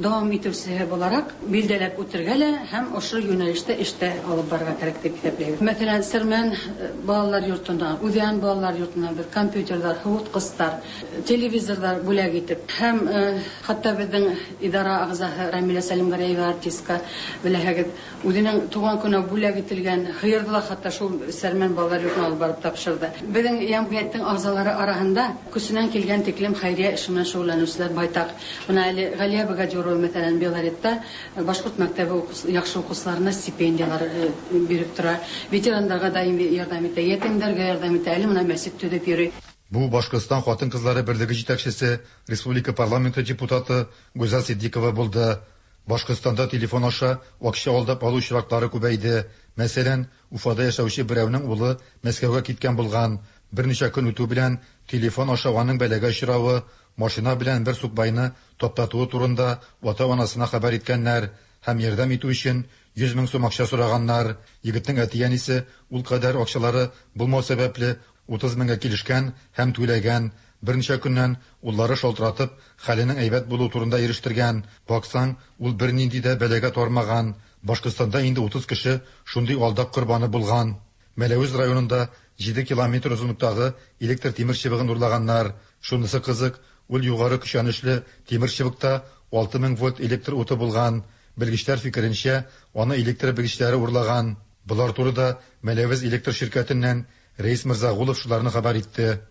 дәвам итүчесе буларак билдәләп үтергә лә һәм ошо юнәлештә эш тә алып барырга кирәк дип исәпләйбез. Мәсәлән, Сәрмән балалар йортына, Үзән балалар йортына без компьютерлар, һуыткычлар, телевизорлар бүләк итеп һәм хәтта безнең идара әгъзаһы Рамилә Сәлимгәрәева артистка, беләһегез, үзенең туган көненә бүләк ителгән һыерды ла хәтта шул Сәрмән балалар йортына алып барып тапшырды. Безнең җәмгыятьнең әгъзалары арасында көченнән килгән тиклем хәйрия эше белән шөгыльләнүчеләр байтак. Менә әле Галия Богадюрова, мәсәлән, Белоретта башкорт мәктәбе яхшы укучыларына стипендияләр биреп тора, ветераннарга даими ярдәм итә, ятимнәргә ярдәм итә, әле менә мәчет төзеп йөри. Бу Башкортстан хатын-кызлары берлеге җитәкчесе, республика парламенты депутаты Гүзәл Ситдикова булды. Башкортстанда телефон аша акча алдап алу очраклары күбәйде. Мәсәлән, Уфада яшәүче берәүнең улы Мәскәүгә киткән булган. Берничә көн үтү белән телефон аша аның бәлагә очравы, машина белән бер сукбайны таптатуы турында ата-анасына хәбәр иткәннәр һәм ярдәм итү өчен 100 мең сум акча сораганнар. Егетнең әти-әнисе ул кадәр акчалары булмау сәбәпле 30 меңгә килешкән һәм түләгән. Берничә көннән уллары шалтыратып, хәленең әйбәт булуы турында ирештергән. Баксаң, ул бернинди дә бәлагә тармаган. Башкортстанда инде 30 кеше шундый алдак корбаны булган. Мәләвез районында 7 километр озынлыктагы электр тимер чыбыгын урлаганнар. Шунысы кызык, ул югары көчәнешле тимер чыбыкта 6000 вольт электр уты булган. Белгечләр фикеренчә, аны электр белгечләре урлаган. Болар турыда Мәләвез электр ширкәтеннән Рәис Мырзагулов шуларны хәбәр итте.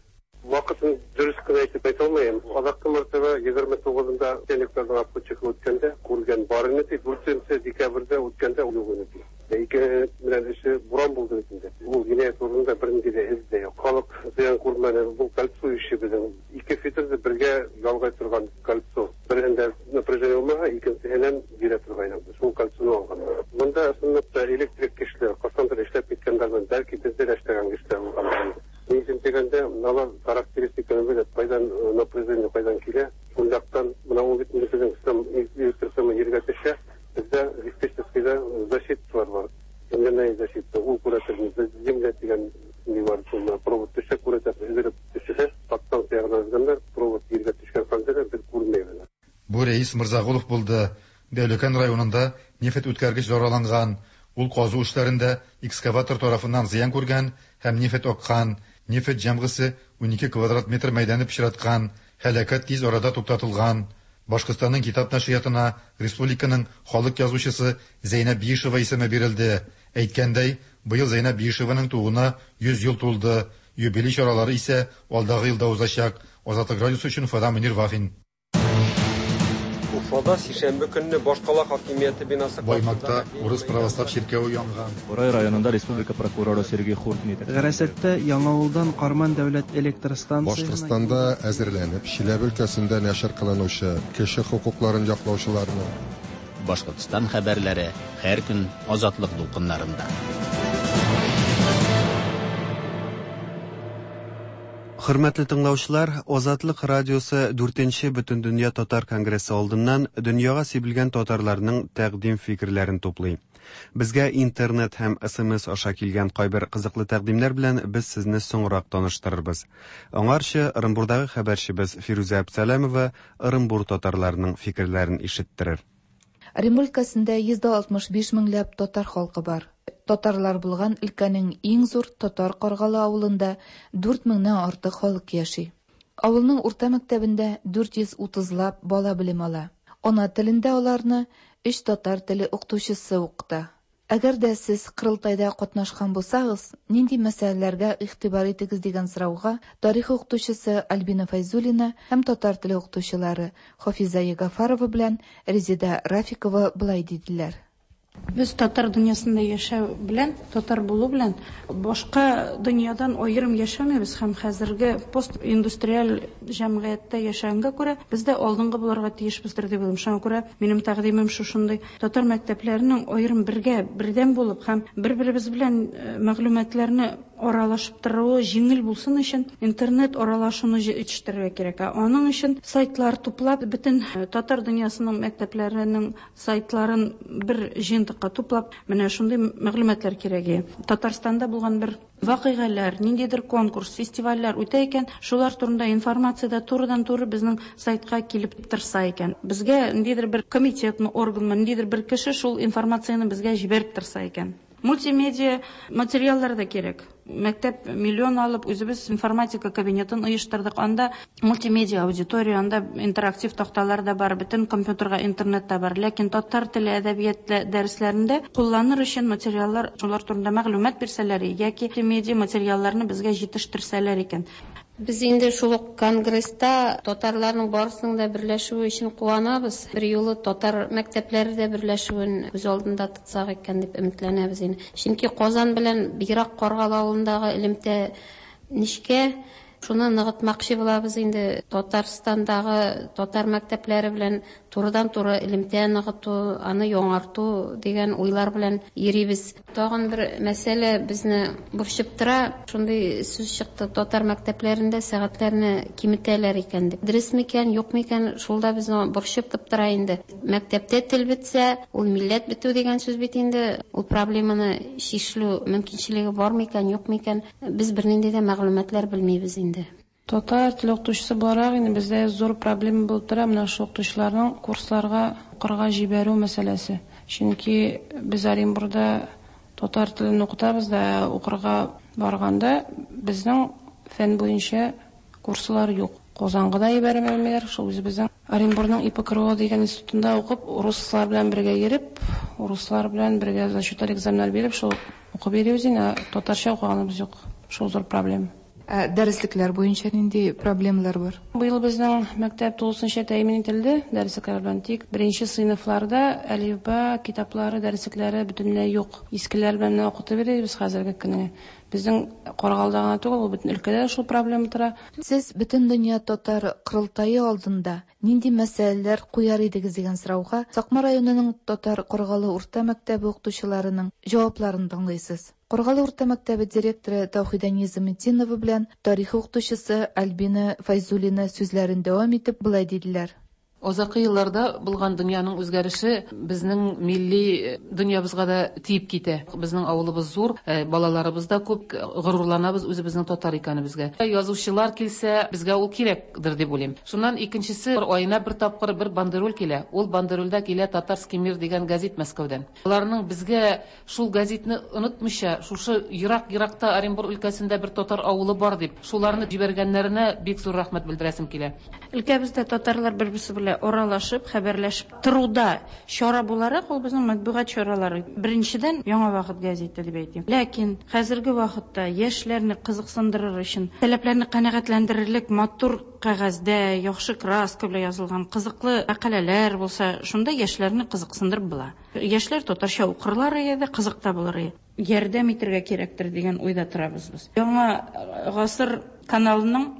Вакытын дөрес кенә әйтеп әйтә алмыйм. Азаккы мәртәбә 29-ында начальникларның обходчигы үткәндә күргән бар ине ди. 4 декабрьдә үткәндә юк ине ди. Ике белән эше буран булды бит инде. Ул җинаять урынында бернинди дә эз дә юк. Халык зыян күрмәде. Бу кольцо ише безнең. Ике фитерде бергә ялгай торган кольцо. Берендә напряжение булмаса, икенчесеннән бирә торган. Шул кольцоны алганнар. Монда чынлап та электрик кешеләр, кайчандыр эшләп киткәннәрмен, бәлки бездә дә эшләгән кешеләр булгандыр инде. Ни өчен дигәндә, алар характеристиканы белә, кайдан напряжение кайдан килә, шул яктан менә ул бит инде безнең электр сымы җиргә төшә, бездә диспетчерскийда защиталар бар. Земляная защита, ул күрәтер, без земля дигән ни бар, шул провод төшә, күрәтә, өзелеп төшә, подстанция ягына өзгәннәр, провод җиргә төшкән хәлдә дә без күрмәйбез. Бу Рәис Мырзагулов булды. Дәүләкән районында нефть үткәргеч зарарланган. Ул казу эшләрендә экскаватор тарафыннан зыян күргән һәм нефть аккан. Нефть җәмгысе 12 квадрат метр мәйданны пычраткан. Һәлакәт тиз арада туктатылган. Башкортстанның китап нәшриятына республиканың халык язучысы Зәйнәб Биишева исеме бирелде. Әйткәндәй, быел Зәйнәб Биишеваның тууына 100 ел тулды. Юбилей чаралары исә алдагы елда узачак. Азатлык радиосы өчен Уфадан Мөнир Вафин. Уфада сишәмбе көнне башкала хакимияте бинасы Баймакта урыс православ чиркәве янган. Борай районында республика прокуроры Сергей Хуркин итәкчелек. Гарәсәттә Яңавылдан Карман дәүләт электр станциясенә Башкортстанда әзерләнеп, Чиләбе өлкәсендә нәшер кылынучы, кеше хокукларын яклаучыларның, Башкортстан хәбәрләре һәр көн Азатлык дулкыннарында. Хөрмәтле тыңлаучылар, Азатлык радиосы 4нче Бөтендөнья татар конгрессы алдыннан дөньяга сибелгән татарларның тәкъдим фикерләрен туплый. Безгә интернет һәм СМС аша килгән кайбер кызыклы тәкъдимнәр белән без сезне соңрак таныштырырбыз. Аңарчы Ырынбурдагы хәбәрчебез Фирүзә Әбсәләмова Ырынбур татарларының фикерләрен ишеттерер. Ырынбур өлкәсендә 165 меңләп татар халкы бар. Татарлар булган өлкәнең иң зур Татар Каргалы авылында 4 меңнән артык халык яши. Авылның урта мәктәбендә 430 лап бала белем ала. Ана телендә аларны өч татар теле укытучысы укыта. Әгәр дә сез корылтайда катнашкан булсагыз, нинди мәсьәләләргә игътибар итегез дигән сорауга тарих укытучысы Альбина Фәйзуллина һәм татар теле укытучылары Хафиза Ягафарова белән Резеда Рафикова болай диделәр. Без татар дөньясында яшәү белән, татар булу белән башка дөньядан аерым яшәмибез һәм хәзерге постиндустриаль җәмгыятьтә яшәгәнгә күрә без дә алдынгы булырга тиешбездер дип уйлыйм. Шуңа күрә минем тәкъдимем шушындый: татар мәктәпләренең аерым бергә, бердәм булып һәм бер-беребез белән мәгълүматларны аралашып торуы җиңел булсын өчен интернет аралашуны җитештерергә кирәк. Ә аның өчен сайтлар туплап, бөтен татар дөньясының мәктәпләренең сайтларын бер җыентыкка туплап, менә шундый мәгълүматлар кирәк. Татарстанда булган бер вакыйгалар, ниндидер конкурс, фестивальләр үтә икән, шулар турында информация да турыдан-туры безнең сайтка килеп торса икән. Безгә ниндидер бер комитетмы, органмы, ниндидер бер кеше шул информацияне безгә җибәреп торса икән. Мультимедиа материаллар да кирәк. Мәктәп миллион алып, үзебез информатика кабинетын оештырдык. Анда мультимедиа аудитория, анда интерактив такталар да бар, бөтен компьютерга интернет та бар. Ләкин татар теле, әдәбият дәресләрендә кулланыр өчен материаллар, шулар турында мәгълүмат бирсәләр яки мультимедиа материалларны безгә җитештерсәләр икән. Без инде шул ук конгресста татарларның барысының да берләшүе өчен куанабыз. Бер юлы татар мәктәпләре дә берләшүен күз алдында тотсак икән дип өметләнәбез инде. Чөнки Казан белән бигрәк Каргалы авылындагы элемтә нечкә. Шуны ныгытмакчы булабыз инде. Татарстандагы татар мәктәпләре белән турыдан-туры элемтә ныгыту, аны яңарту дигән уйлар белән йөрибез. Тагын бер мәсьәлә безне борчып тора. Шундый сүз чыкты, татар мәктәпләрендә сәгатьләрне киметәләр икән дип. Дөрес микән, юк микән, шул да безне борчып тора инде. Мәктәптә тел бетсә, ул милләт бетү дигән сүз бит инде. Ул проблеманы чишелү мөмкинчелеге бар микән, юк микән, без бернинди дә мәгълүматлар белмибез инде. Татар теле укытучысы буларак инде бездә зур проблема булып тора менә шул укытучыларның курсларга укырга җибәрү мәсьәләсе. Чөнки без Оренбурда Татар телен укытабыз да, укырга барганда безнең фән буенча курслар юк. Казанга да җибәрмиләр, шул үзебезнең Оренбургның ИПКРО дигән институтында укып, руслар белән бергә йөреп, руслар белән бергә зачетлар, экзаменнар биреп, шул укып йөрибез инде, татарча укыганыбыз юк. Шул зур проблема. Ә дәреслекләр буенча нинди проблемалар бар? Быел безнең мәктәп тулысынча тәэмин ителде дәреслекләр белән. Тик беренче сыйныфларда әлифба китаплары, дәреслекләре бөтенләй юк. Искеләр белән генә укытып йөрибез хәзерге көнгә. Безнең Каргалыда гына түгел, ул бөтен өлкәдә шул проблема тора. Сез Бөтендөнья татар корылтае алдында нинди мәсьәләләр куяр идегез дигән сорауга Сакмар районының Татар Каргалы урта мәктәбе укытучыларының җавапларын тыңлыйсыз. Каргалы урта мәктәбе директоры Таухидә Низаметдинова белән тарих укытучысы Альбина Фәйзуллина сүзләрен дәвам итеп болай диделәр. Азакы елларда булган дөньяның үзгәреше безнең милли дөньябызга да тиеп китә. Безнең авылыбыз зур, балаларыбыз да күп, горурланабыз үзебезнең татар икәнебезгә. Язучылар килсә, безгә ул кирәкдер дип уйлыйм. Шуннан икенчесе, аена бер тапкыр бер бандероль килә. Ул бандерольдә килә Татарский мир дигән гәзит Мәскәүдән. Аларның безгә шул гәзитне онытмыйча, шушы ерак-еракта Оренбур өлкәсендә бер татар авылы бар дип, шуларны җибәргәннәренә бик зур рәхмәт белдерәсем килә. Өлкәбездә татарлар бер-берсе белән аралашып, хәбәрләшеп торуда чара буларак, ул безнең матбугат чаралары. Беренчедән, Яңа вакыт гәзите дип әйтим. Ләкин хәзерге вакытта яшьләрне кызыксындырыр өчен, таләпләрне канәгатьләндерерлек матур кәгазьдә, яхшы краска белән язылган кызыклы мәкаләләр булса, шунда яшьләрне кызыксындырып була. Яшьләр татарча укырлар иде дә, кызык та булыр иде. Ярдәм итәргә кирәктер дигән уйда торабыз без. Яңа гасыр каналының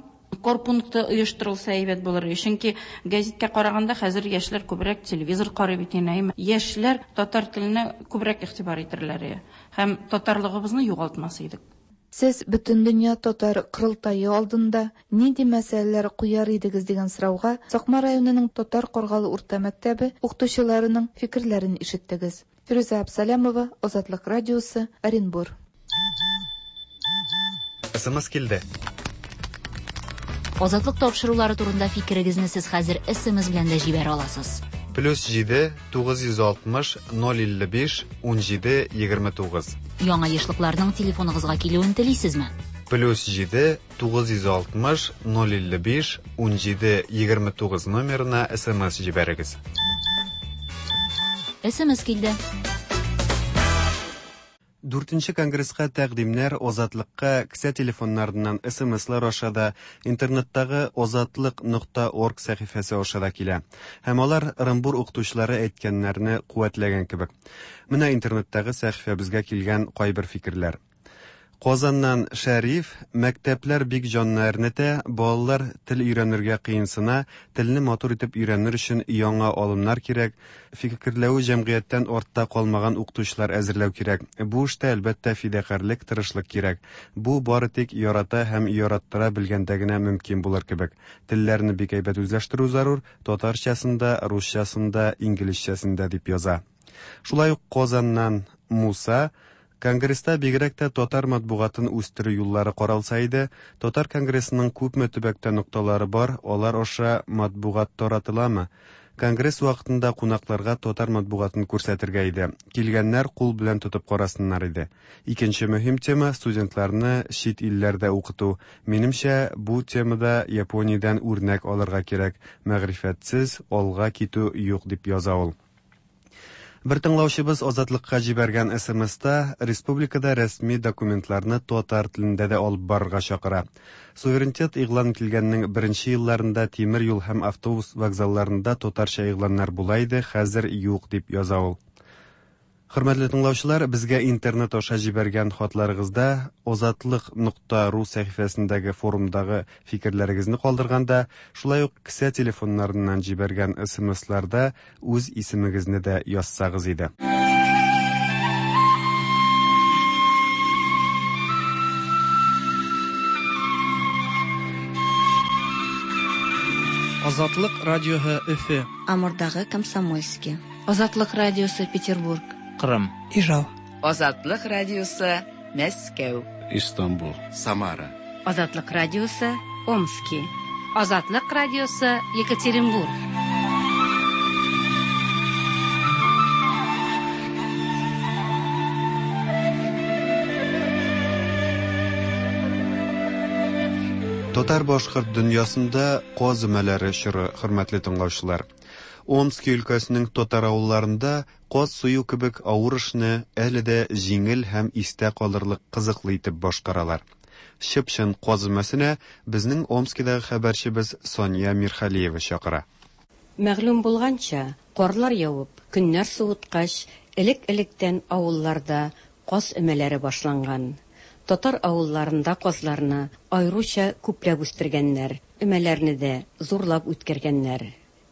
корпункты оештырылса әйбәт булыр иде. Чөнки гәзиткә караганда хәзер яшьләр күбрәк телевизор карый бит инде, әйме? Яшьләр татар теленә күбрәк игътибар итерләр иде һәм татарлыгыбызны югалтмас идек. Сез Бөтендөнья татар корылтае алдында нинди мәсьәләләр куяр идегез дигән сорауга Сакмар районының Татар Каргалы урта мәктәбе укытучыларының фикерләрен ишеттегез. Фирүзә Абсалямова, Азатлык радиосы, Оренбур. СМС килде. Азатлык тапшырулары турында фикерегезне сез хәзер СМС белән дә җибәрә аласыз. Плюс 7 960 055 17 29. Яңа ешлыкларның телефоныгызга килүен телисезме? Плюс 7 960 055 17 29 номерына СМС җибәрегез. СМС килде. Дүртенче конгресска тәкъдимнәр Азатлыкка кесә телефоннарыннан СМСлар аша да, интернеттагы Азатлык нокта орг сәхифәсе аша да килә. Һәм алар Ырынбур укытучылары әйткәннәрне куәтләгән кебек. Менә интернеттагы сәхифәбезгә килгән кайбер фикерләр. Казаннан Шәриф, мәктәпләр бик җанны әрнетә, балалар тел өйрәнергә кыенсына, телне матур итеп өйрәнер өчен яңа алымнар кирәк, фикерләве җәмгыятьтән артта калмаган укытучылар әзерләү кирәк. Бу эштә, әлбәттә, фидакарьлек, тырышлык кирәк. Бу бары тик ярата һәм яраттыра белгәндә генә мөмкин булыр кебек. Телләрне бик әйбәт үзләштерү зарур, татарчасын да, русчасын да, инглизчәсен дә, дип яза. Шулай ук Казаннан Муса, Конгресста бигрәк тә татар матбугатын үстерү юллары каралса иде, Татар конгрессының күпме төбәктә нокталары бар, алар аша матбугат таратыламы? Конгресс вакытында кунакларга татар матбугатын күрсәтергә иде. Килгәннәр кул белән тотып карасыннар иде. Икенче мөһим тема, студентларны чит илләрдә укыту. Минемчә, бу темада Япониядән үрнәк алырга кирәк. Мәгърифәтсез алга китү юк, дип яза ул. Бер тыңлаучыбыз Азатлыкка җибәргән СМСта республикада рәсми документларны татар телендә дә алып барырга чакыра. Суверенитет игълан ителгәннең беренче елларында тимер юл һәм автобус вокзалларында татарча игъланнар була иде, хәзер юк, дип яза ул. Хөрмәтле тыңлаучылар, безгә интернет аша җибәргән хатларыгызда Азатлык нокта ру сәхифәсендәге форумдагы фикерләрегезне калдырганда, шулай ук кесә телефоннарыннан җибәргән СМСларда үз исемегезне дә язсагыз иде. Азатлык радиоһы Өфе. Амурдагы Комсомольски. Азатлык радиосы Петербург. Кырым. Ижау. Азатлык радиосы Мәскәү. Истанбул. Самара. Азатлык радиосы Омски. Азатлык радиосы Екатеринбург. Татар-башкорт дөньясында каз өмәләре чоры, хөрмәтле тыңлаучылар. Омски өлкәсенең татар авылларында каз сую кебек авыр эшне әле дә җиңел һәм истә калырлык кызыклы итеп башкаралар. Чып-чын каз өмәсенә безнең Омскидагы хәбәрчебез Сания Мирхалиева чакыра. Мәгълүм булганча, карлар явып, көннәр суыткач, элек-электән авылларда каз өмәләре башланган. Татар авылларында казларны аеруча күпләп үстергәннәр, өмәләрне дә зурлап үткәргәннәр.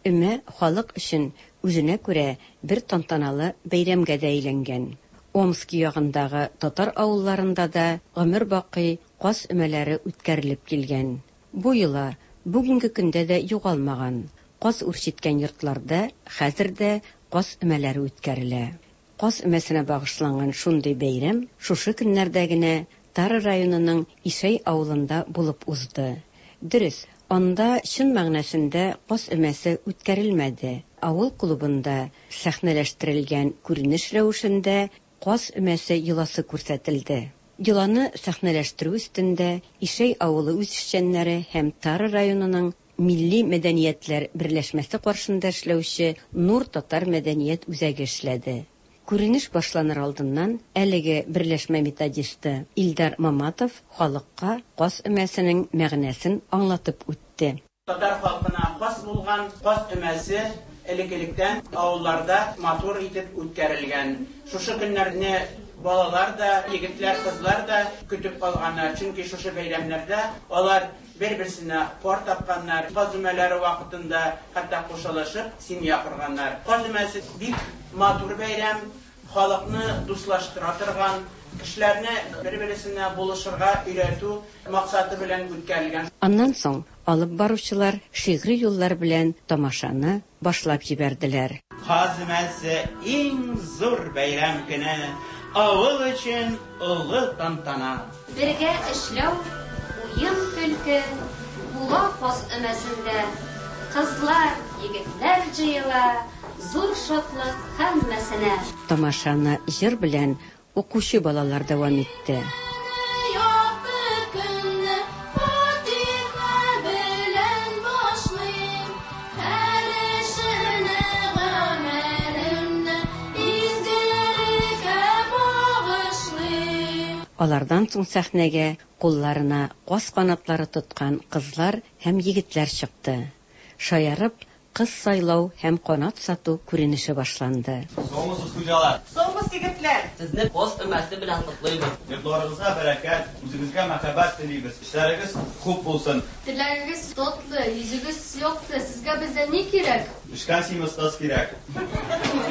Өмә халык өчен үзенә күрә бер тантаналы бәйрәмгә дә әйләнгән. Омски ягындагы татар авылларында да гомер бакый каз өмәләре үткәрелеп килгән. Бу йола бүгенге көндә дә югалмаган, каз үрчеткән йортларда хәзер дә каз өмәләре үткәрелә. Каз өмәсенә багышланган шундый бәйрәм шушы көннәрдә генә Тара районының Ишәй авылында булып узды. Дөрес, анда чын мәгънәсендә каз өмәсе үткәрелмәде, авыл клубында сәхнәләштерелгән күренеш рәвешендә каз өмәсе йоласы күрсәтелде. Йоланы сәхнәләштерү өстендә Ишәй авылы үзешчәннәре һәм Тара районының Милли мәдәниятләр берләшмәсе каршында эшләүче Нур татар мәдәният үзәге эшләде. Күренеш башланыр алдыннан әлеге берләшмә методисты Илдар Маматов халыкка каз өмәсенең мәгънәсен аңлатып үтте. Татар халкына хас булган каз өмәсе элек-электән авылларда матур итеп үткәрелгән. Шушы көннәрне балалар да, егетләр, кызлар да көтеп калганнар, чөнки шушы бәйрәмнәрдә алар Бер-берсенә пар тапканнар, каз өмәләре вакытында хәтта кушылышып семья корганнар. Каз өмәсе бик матур бәйрәм, халыкны дуслаштыра торган, кешеләрне бер-бересенә булышырга өйрәтү максаты белән үткәрелгән. Аннан соң алып баручылар шигъри юллар белән тамашаны башлап җибәрделәр. Каз өмәсе иң зур бәйрәм көне, авыл өчен олы тантана. Бергә эшләү, уен-көлке була каз өмәсендә. Кызлар, егетләр җыела, зур шатлык һәммәсенә. Тамашаны җыр белән Укучы балалар дәвам итте. Якты көнне фатиха белән башлыйм, Һәр эшемне, гамәлемне изгелеккә багышлыйм. Алардан соң сәхнәгә кулларына каз канатлары тоткан кызлар һәм егетләр чыкты. Шаярып, Кыз сайлау һәм канат сату күренеше башланды. Саумысыз, хуҗалар! Саумы, егетләр! Сезне каз өмәсе белән котлыйбыз! Йортларыгызга бәрәкәт, үзегезгә мәхәббәт телибез, эшләрегез хуп булсын! Теләгегез татлы, йөзегез якты, сезгә бездән ни кирәк? Пешкән симез кыз кирәк.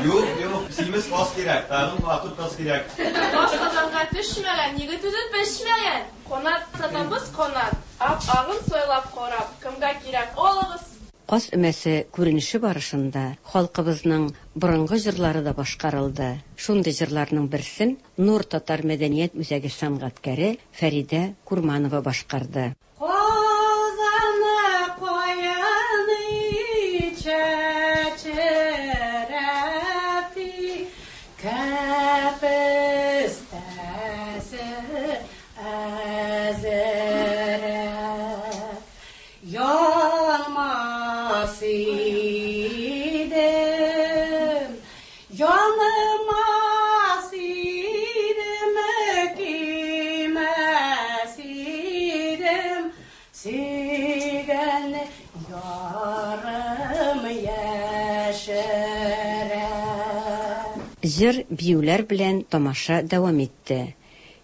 Юк, юк, симез каз кирәк, тагын матур кыз кирәк. Баш казанга төшмәгән, егет үзе пешмәгән! Канат сатабыз, канат, ап-агын сайлап карап, кемгә кирәк, алыгыз! Каз өмәсе күренеше барышында халкыбызның борынгы җырлары да башкарылды. Шундый җырларның берсен Нур татар мәдәният үзәге сәнгатькәре Фәридә Курманова башкарды. Казаны каян чәчрәти, кәпестәсе әзерә. Янмас идем, янмас идем, көймәс идем, сөйгән ярым яшерә. Җыр, биюләр белән тамаша дәвам итте.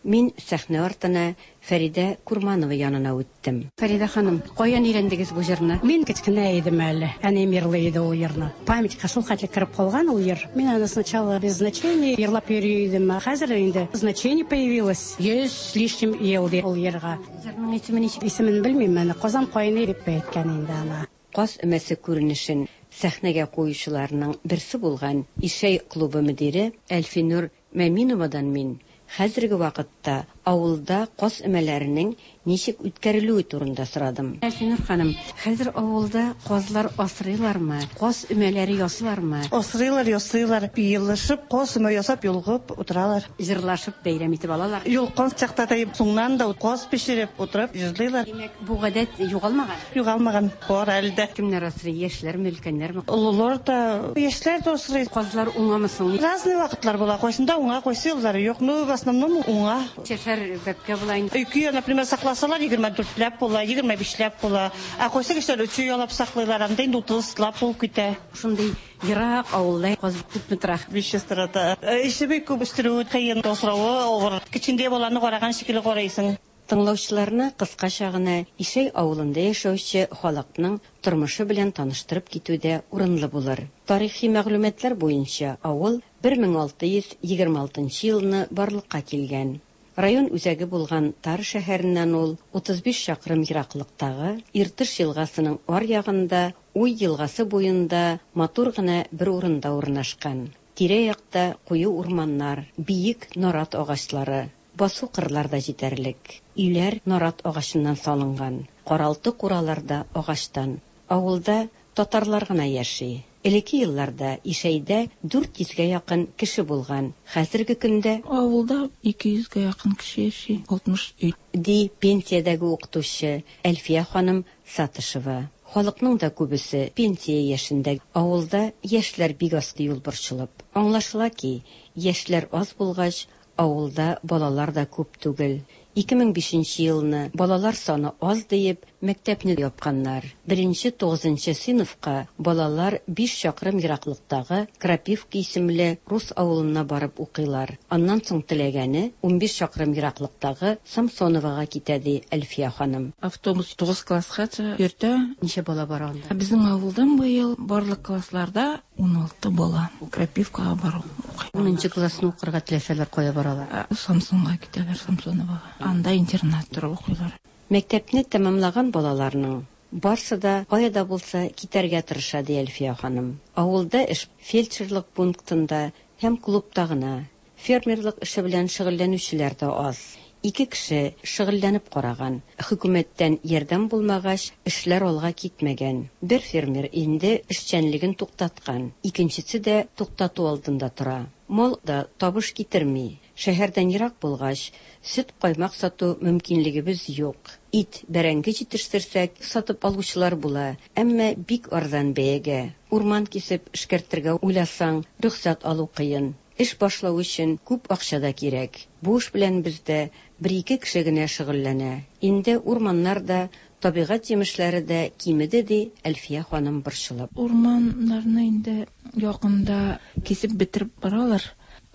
Мин сәхнә артына Фәридә Курманова янына үттем. Фәридә ханым, каян өйрәндегез бу җырны? Мин кечкенә идем әле. Әнием йырлый иде ул йырны. Памятька шул хәтле кереп калган ул йыр. Мин аны сначала без значения йырлап йөри идем. Ә хәзер инде значение появилось. 100 с лишним ел ди ул йырга. Җырның исеме ничек? Исемен белмим әне. Казан каены дип әйткән инде аны. Каз өмәсе күренешен сәхнәгә куючыларның берсе булган Ишәй клубы мөдире Әлфинур Мәминовадан мин хәзерге вакытта авылда каз өмәләренең ничек үткәрелүе турында сорадым. Әлфинур ханым, хәзер авылда казлар асрыйлармы? Каз өмәләре ясыйлармы? Асрыйлар, ясыйлар. Елышып, каз өмә ясап, йолгып утыралар. Җырлашып бәйрәм итеп алалар. Йолкан чакта да соңнан да каз пешереп утырып җырлыйлар. Димәк, бу гадәт югалмаган? Югалмаган, бар әле дә. Кемнәр асрый? Яшьләрме, өлкәннәрме? Олылар да, яшьләр дә асрый. Казлар уңамы соң? Разный вакытлар була. Кайсында уңа, кайсы еллары юк. Ну, в основном уңа. Ничәшәр бәбкә була инде? Ике, например, сакласалар, 24 ләп була, 25 ләп була. Ә кайсы кешеләр өче ялап саклыйлар, анда инде 30 лап булып китә. Шундый ерак авылда каз күпме тора? 500 тора. Эше бик күп, үстерүе кыен, асравы авыр. Кечкенә баланы караган шикелле карыйсың. Тыңлаучыларны кыскача гына Ишәй авылында яшәүче халыкның тормышы белән таныштырып китү дә урынлы булыр. Тарихи мәгълүматлар буенча авыл 1626 елны барлыкка килгән. Район үзәге булган Тар шәһәреннән ул 35 чакрым ераклыктагы Иртыш елгасының аръягында, Уй елгасы буенда матур гына бер урында урнашкан. Тирә-якта куе урманнар, биек нарат агачлары, басу-кырлар да җитәрлек. Өйләр нарат агачыннан салынган, каралты-куралар да агачтан. Авылда татарлар гына яши. Элекке елларда Ишәйдә 400 гә якын кеше булган, хәзерге көндә. Авылда 200 гә якын кеше яши, 60 өй. Ди пенсиядәге укытучы Әлфия ханым Сатышева. Халыкның да күбесе пенсия яшендә. Авылда яшьләр бик аз, ди ул борчылып. Аңлашыла ки, яшьләр аз булгач, авылда балалар да күп түгел. 2005 нче елны балалар саны аз диеп, мәктәпне япканнар. Беренче тугызынчы сыйныфка балалар биш чакрым ераклыктагы Крапивка исемле рус авылына барып укыйлар. Аннан соң теләгәне 15 чакрым ераклыктагы Самсоновага китә, ди Әлфия ханым. Автобус тугыз класскача йөртә. Ничә бала бара анда? Безнең авылдан быел барлык классларда 16 бала Крапивкага барып укый. Унынчы классны укырга теләсәләр, кая баралар? Самсонга китәләр, Самсоновага. Анда интернат торып укыйлар. Мәктәпне тәмамлаган балаларның барсы да кая да булса китәргә тырыша, ди Әлфия ханым. Авылда эш фельдшерлык пунктында һәм клубта гына. Фермерлык эше белән шөгыльләнүчеләр дә аз. Ике кеше шөгыльләнеп караган. Хөкүмәттән ярдәм булмагач, эшләр алга китмәгән. Бер фермер инде эшчәнлеген туктаткан, икенчесе дә туктату алдында тора. Мал да табыш китерми. Шәһәрдән ерак булгач, сөт-каймак сату мөмкинлегебез юк. Ит, бәрәңге җитештерсәк, сатып алучылар була, әмма бик арзан бәягә. Урман кисеп эшкәртергә уйласаң, рөхсәт алу кыен. Эш башлау өчен күп акча да кирәк. Бу эш белән бездә бер-ике кеше генә шөгыльләнә. Инде урманнар да, табигать җимешләре дә кимеде, ди Әлфия ханым борчылып. Урманнарны инде якында кисеп бетереп баралар.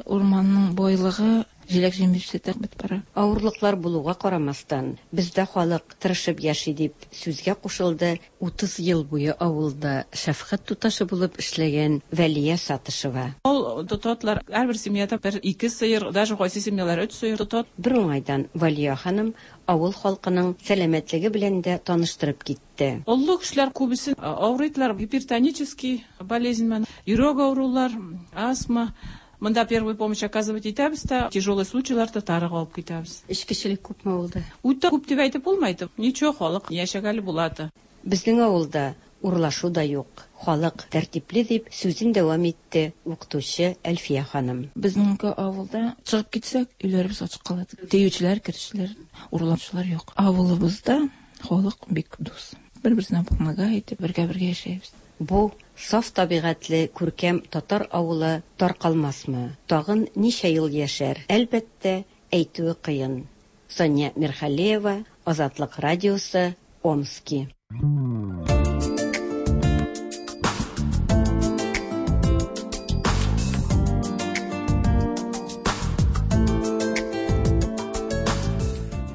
Урманның байлыгы, җиләк-җимеше дә бетеп бара. Авырлыклар булуга карамастан, бездә халык тырышып яши, дип сүзгә кушылды 30 ел буе авылда шәфкать туташы булып эшләгән Вәлия Сатышева. Мал тотатлар, һәрбер семьяда бер ике сыер, даже кайсы семьялар өч сыер тотат. Бер уңайдан Вәлия ханым авыл халкының сәламәтлеге белән дә таныштырып китте. Олы кешеләр күбесе авырыйлар, гипертонический болезнь белән, йөрәк авырулар, астма. Монда первую помощь оказывать итәбез дә, тяжелый случайларда тарыга алып китәбез. Эчкечелек күпме авылда? Үтә күп дип әйтеп булмый. Ничего, халык яшәгәле булады. Безнең авылда урлашу да юк, халык тәртипле, дип сүзен дәвам итте укытучы Әлфия ханым. Безнең авылда чыгып китсәк, өйләребез ачык кала. Тиючеләр, керүчеләр, урлаучылар юк. Авылыбызда халык бик дус. Бер-берсенә помогает, бергә-бергә яшәйбез. Бу саф табигатьле күркәм татар авылы таркалмасмы? Тагын ничә ел яшәр? Әлбәттә, әйтүе кыен. Сания Мирхалеева, Азатлык радиосы, Омски.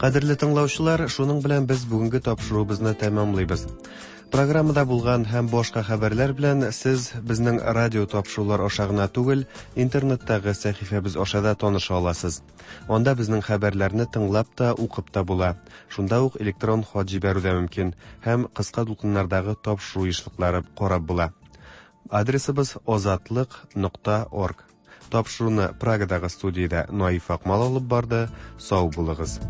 Кадерле тыңлаучылар, шуның белән без бүгенге тапшыруыбызны тәмамлыйбыз. Программада булган һәм башка хәбәрләр белән сез безнең радио тапшырулар аша гына түгел, интернеттагы сәхифәбез аша да таныша аласыз. Анда безнең хәбәрләрне тыңлап та, укып та була. Шунда ук электрон хат җибәрү дә мөмкин һәм кыска дулкыннардагы тапшыру ешлыклары карап була. Адресыбыз озатлык нокта орг. Тапшыруны Прагадагы студиядә Наиф Акмал алып барды. Сау булыгыз.